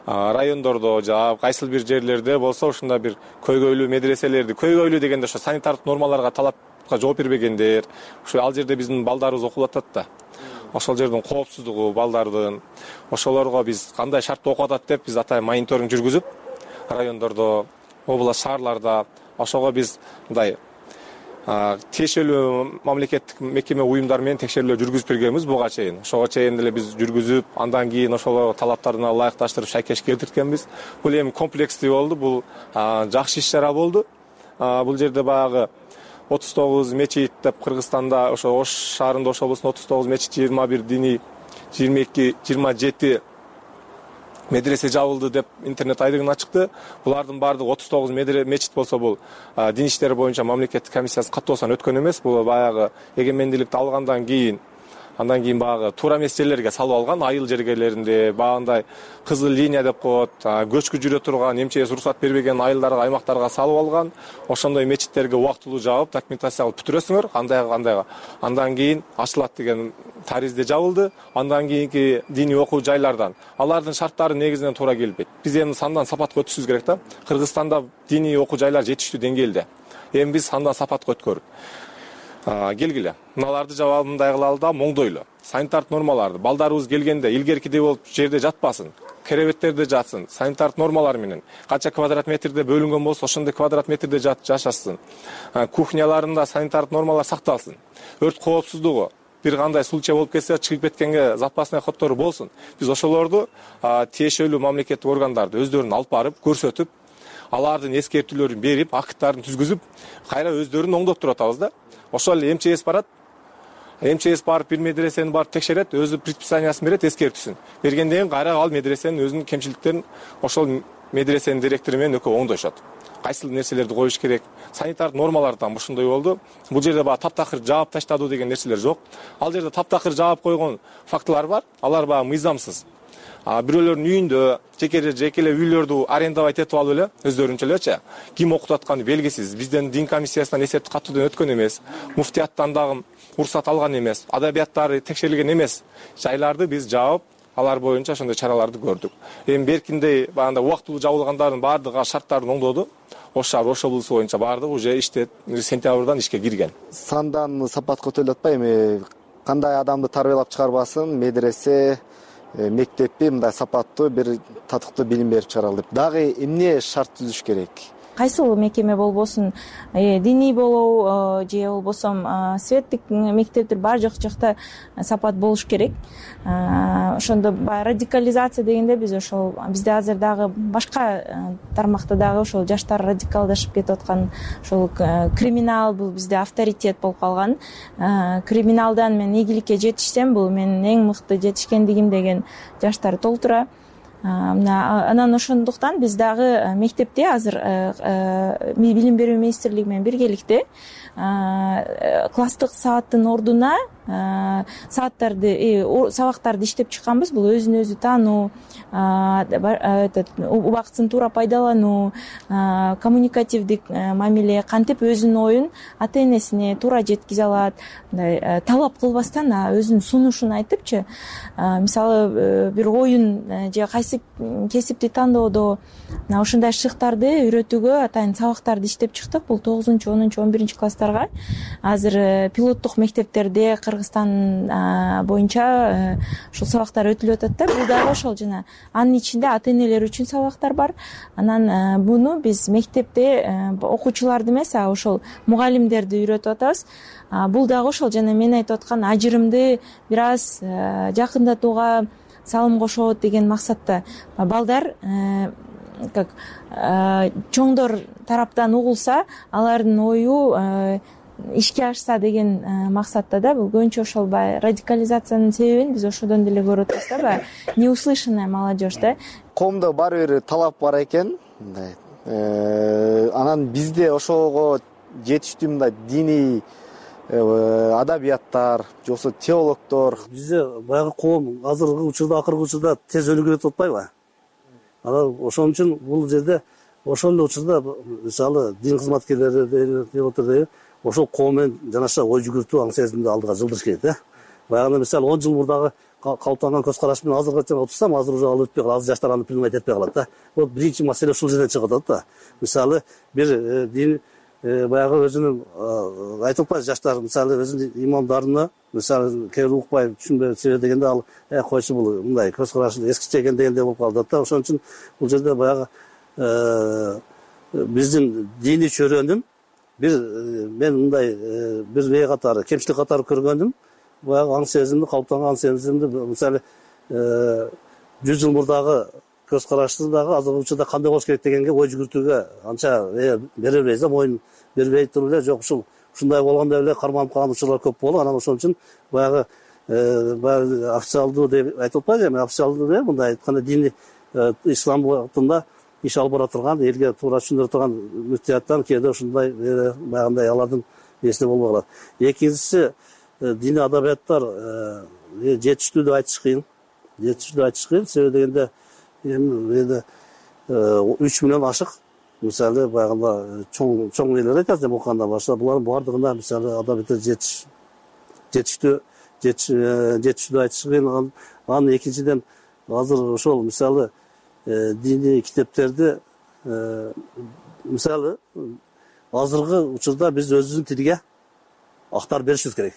райондордо жаап, кайсыл бир жерлерде болсо ушундай бир көйгөйлүү медреселерди, көйгөйлүү дегенде ошо санитардык нормаларга, талапка жооп бербегендер, ушу ал жерде биздин балдарыбыз окулуп атат да. Ошол жердин коопсуздугу балдардын, ошолорго биз кандай шартта окуп атат деп биз атай мониторинг жүргүзүп, райондордо, область шаарларда ошого биз мындай тиешелүү мамлекеттик мекеме уюмдар менен текшерүүлөр жүргүзүп бергенбиз буга чейин. Ошого чейин деле биз жүргүзүп, андан кийин ошол талаптарына ылайыкташтырып шайкеш келтирткенбиз. Бул эми комплекстүү болду, бул жакшы иш чара болду. Бул жерде баягы отуз тогуз мечит деп Кыргызстанда, ошо Ош шаарында, Ош облусунда отуз тогуз мечит, жыйырма бир диний, жыйырма эки, жыйырма жети медресе жабылды деп интернет айдыгына чыкты. Булардын баардыгы отуз тогуз мечит болсо, бул дин иштери боюнча мамлекеттик комиссиясы каттоосунан өткөн эмес. Бул баягы эгемендүүлүктү алгандан кийин, андан кийин баягы туура эмес жерлерге салып алган, айыл жергелеринде, баягындай кызыл линия деп коет, көчкү жүрө турган, эмчеси уруксат бербеген айылдарга, аймактарга салып алган. Ошондой мечиттерге убактылуу жаап, документация кылып бүтүрөсүңөр, кандайга кандайга. Андан кийин ачылат деген таризде жабылды. Андан кийинки диний окуу жайлардан алардын шарттары негизинен туура келбейт. Биз эми сандан сапатка өтүшүбүз керек да. Кыргызстанда диний окуу жайлар жетиштүү деңгээлде. Эми биз сандан сапатка өткөрүп келгиле. Мыналарды жабалы мындай кылалы да, моңдойлу. Санитардык нормаларды балдарыбыз келгенде илгеркидей болуп жерде жатпасын, керебеттерде жатсын, санитардык нормалар менен. Канча квадрат метрде бөлүнгөн болсо, ошондой квадрат метрде жашашсын. Кухняларында санитардык нормалар сакталсын. Өрт коопсуздугу, бир кандай случай болуп кетсе, чыгып кеткенге запасный ходдору болсун. Биз ошолорду тиешелүү мамлекеттик органдарды өздөрүн алып барып, көрсөтүп, алардын эскертүүлөрүн берип, акттарын түзгүзүп, кайра өздөрүн оңдоп туруп атабыз да. Ошол эле МЧС барат. МЧС барып бир медресени барып текшерет, өзү предписаниясын берет, эскертүүсүн. Бергенден кийин кайра ал медресенин өзүнүн кемчиликтерин ошол медресенин директору менен экөө оңдошот. Кайсыл нерселерди коюш керек, санитардык нормалардан ушундай болду. Бул жерде баягы таптакыр жаап таштадуу деген нерселер жок. Ал жерде таптакыр жаап койгон фактылар бар. Алар баягы мыйзамсыз. Бирөөлөрдүн үйүндө, жеке жекеле үйлөрдү арендовать этип алып эле, өздөрүнчө элечи, ким окутуп атканы белгисиз. Бизден дин комиссиясынан эсептик каттуудан өткөн эмес, муфтияттан дагы уруксат алган эмес, адабияттары текшерилген эмес жайларды биз жаап, алар боюнча ошондой чараларды көрдүк. Эми беркиндей баягындай убактылуу жабылгандардын баардыгы шарттарын оңдоду. Ош шаар, Ош облусу боюнча баардыгы уже иште сентябрдан ишке кирген. Сандан сапатка өтөлүп атпайбы? Эми кандай адамды тарбиялап чыгарбасын, медресе, мектепти мындай сапаттуу бир татыктуу билим берип чыгаралы деп. Дагы эмне шарт түзүш керек? кайсыл мекеме болбосун, диний болобу же болбосо светтик мектептер баары жок жакта сапат болуш керек. Ошондо баягы радикализация дегенде биз ошол бизде азыр дагы башка тармакта дагы ошол жаштар радикалдашып кетип аткан, ошол криминал бул бизде авторитет болуп калган. Криминалдан мен ийгиликке жетишсем, бул менин эң мыкты жетишкендигим деген жаштар толтура. Анан ошондуктан биз дагы мектепте азыр билим берүү министрлиги менен биргеликте класстык сааттын ордуна сааттарды, сабактарды иштеп чыкканбыз. Бул өзүн өзү таануу, убактысын туура пайдалануу, коммуникативдик мамиле, кантип өзүнүн оюн ата энесине туура жеткизе алат, мындай талап кылбастан өзүнүн сунушун айтыпчы, мисалы бир оюн же кайсы кесипти тандоодо ошондой шыктарды үйрөтүүгө атайын сабактарды иштеп чыктык. Бул тогузунчу, онунчу, он биринчи класстарга азыр пилоттук мектептерде Кыргызстан боюнча ушул сабактар өтүлүп атат да. Бул дагы ошол жана анын ичинде ата энелер үчүн сабактар бар. Анан буну биз мектепте окуучуларды эмес, а ошол мугалимдерди үйрөтүп атабыз. Бул дагы ошол жана мен айтып аткан ажырымды бир аз жакындатууга салым кошот деген максатта балдар как чоңдор тараптан угулса, алардын ою ишке ашса деген максатта да. Бул көбүнчө ошол баягы радикализациянын себебин биз ошодон деле көрүп атабыз да, баягы неуслышанная молодежь да. Коомдо баары бир талап бар экен, мындай. Анан бизде ошого жетиштүү мындай диний адабияттар, же болбосо теологдор. Бизде баягы коом азыркы учурда, акыркы учурда тез өнүгүп кетип атпайбы? Анан ошон үчүн бул жерде ошол эле учурда мисалы дин кызматкерлери теологдор ошол коом менен жанаша ой жүгүртүү, аң сезимди алдыга жылдырыш керек да. Баягы мисалы он жыл мурдагы калыптанган көз караш менен азыркы отурсам, азыр уже ал өтпөй калат, азыр жаштар аны принимать этпей калат да. Вот биринчи маселе ушул жерден чыгып атат да. Мисалы бир дин баягы өзүнүн айтып атпайбы, жаштар мисалы өзүнүн имамдарына мисалы кээ бир укпай түшүнбөй себеп дегенде ал э койчу бул мындай көз карашы эскиче экен дегендей болуп калат да. Ошон үчүн бул жерде баягы биздин диний чөйрөнүн бир мен мындай бир вей катары, кемчилик катары көргөнүм, баягы аң сезимди, калыптанган аң сезимди мисалы жүз жыл мурдагы көз карашты дагы азыркы учурда кандай болуш керек дегенге ой жүгүртүүгө анча бере бербейбиз да, моюн бербей туруп эле жок ушул ушундай болгондо эле карманып калган учурлар көп болуп, анан ошон үчүн баягы баягы официалдуу деп айтып атпайбы, эми официалдуу деп мындай айтканда диний ислам багытында иш алып бара турган, элге туура түшүндүрө турган мүфтияттан кээде ушундай баягындай алардын эсине болбой калат. Экинчиси диний адабияттар жетиштүү деп айтыш кыйын. Жетиштүү деп айтыш кыйын, себеби дегенде эми үч миллион ашык мисалы баягында чоң чоң нелер айтат, эми окуганда башка булардын баардыгына мисалы адабияттар жетиш жетиштүү жетиштүү деп айтыш кыйын. Анан экинчиден азыр ошол мисалы диний китептерди мисалы азыркы учурда биз өзүбүздүн тилге актарып беришибиз керек.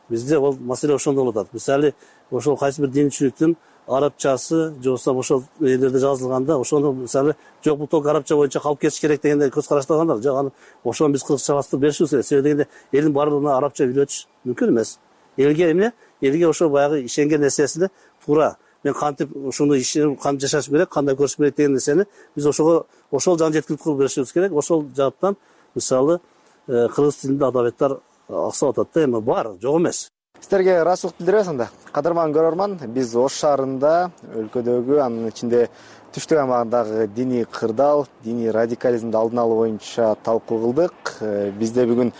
Бизде ол маселе ошондо болуп атат. Мисалы ошол кайсы бир динчиликтин арабчасы же болбосо ошол элерде жазылганда ошону мисалы жок бул только арабча боюнча калып кетиш керек дегенде көз караштагандар, жок аны ошону биз кыргызча бастырып беришибиз керек. Себеби дегенде элдин баардыгына арабча үйрөтүш мүмкүн эмес. Элге эмне? Элге ошол баягы ишенген нерсесине туура мен кантип ушуну ишенип кантип жашашым керек, кандай көрүшүм керек деген нерсени биз ошого ошол жагын жеткирип кылып беришибиз керек. Ошол жааттан мисалы кыргыз тилинде адабияттар аксап атат да, эми бар, жок эмес. Сиздерге ыраазычылык билдиребиз анда. Кадырман көрөрман, биз Ош шаарында, өлкөдөгү, анын ичинде түштүк аймагындагы диний кырдаал, диний радикализмди алдын алуу боюнча талкуу кылдык. Бизде бүгүн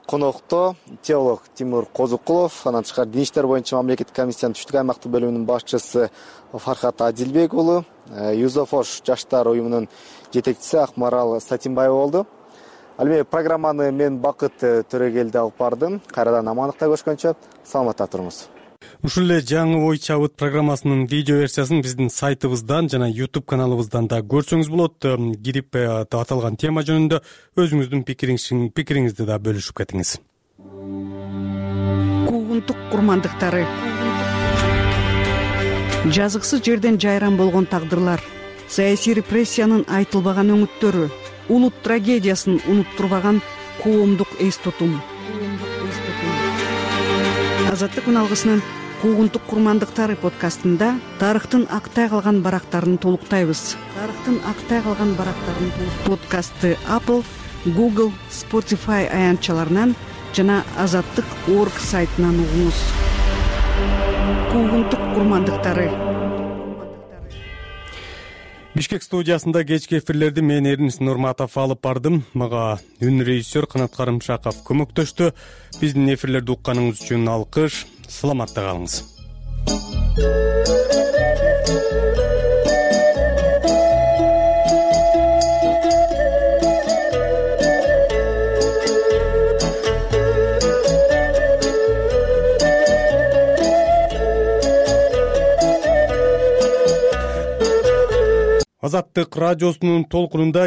конокто теолог Тимур Козукулов, анан тышкары дин иштер боюнча мамлекеттик комиссиянын түштүк аймактык бөлүмүнүн башчысы Фархат Адилбек уулу, Юзофош жаштар уюмунун жетекчиси Акмарал Сатимбаева болду. Ал эми программаны мен Бакыт Төрөгелди алып бардым. Кайрадан амандыкта көрүшкөнчө саламатта туруңуз. Ушул эле жаңы ой чабыт программасынын видео версиясын биздин сайтыбыздан жана YouTube каналыбыздан да көрсөңүз болот. Кирип аталган тема жөнүндө өзүңүздүн пикириңизди да бөлүшүп кетиңиз. Куугунтук курмандыктары, жазыксыз жерден жайран болгон тагдырлар, саясий репрессиянын айтылбаган өңүттөрү, улут трагедиясын унуттурбаган коомдук эс тутум. Азаттык үналгысынын куугунтук курмандыктары подкастында тарыхтын актай калган барактарын толуктайбыз. Тарыхтын актай калган барактарын подкастты Apple, Google, Spotify аянтчаларынан жана азаттык точка орг сайтынан угуңуз. Куугунтук курмандыктары. Бишкек студиясында кечки эфирлерди мен Эрнис Нурматов алып бардым. Мага үн режиссер Канат Карымшаков көмөктөштү. Биздин эфирлерди укканыңыз үчүн алкыш. Саламатта калыңыз. Азаттык радиосунун толкунунда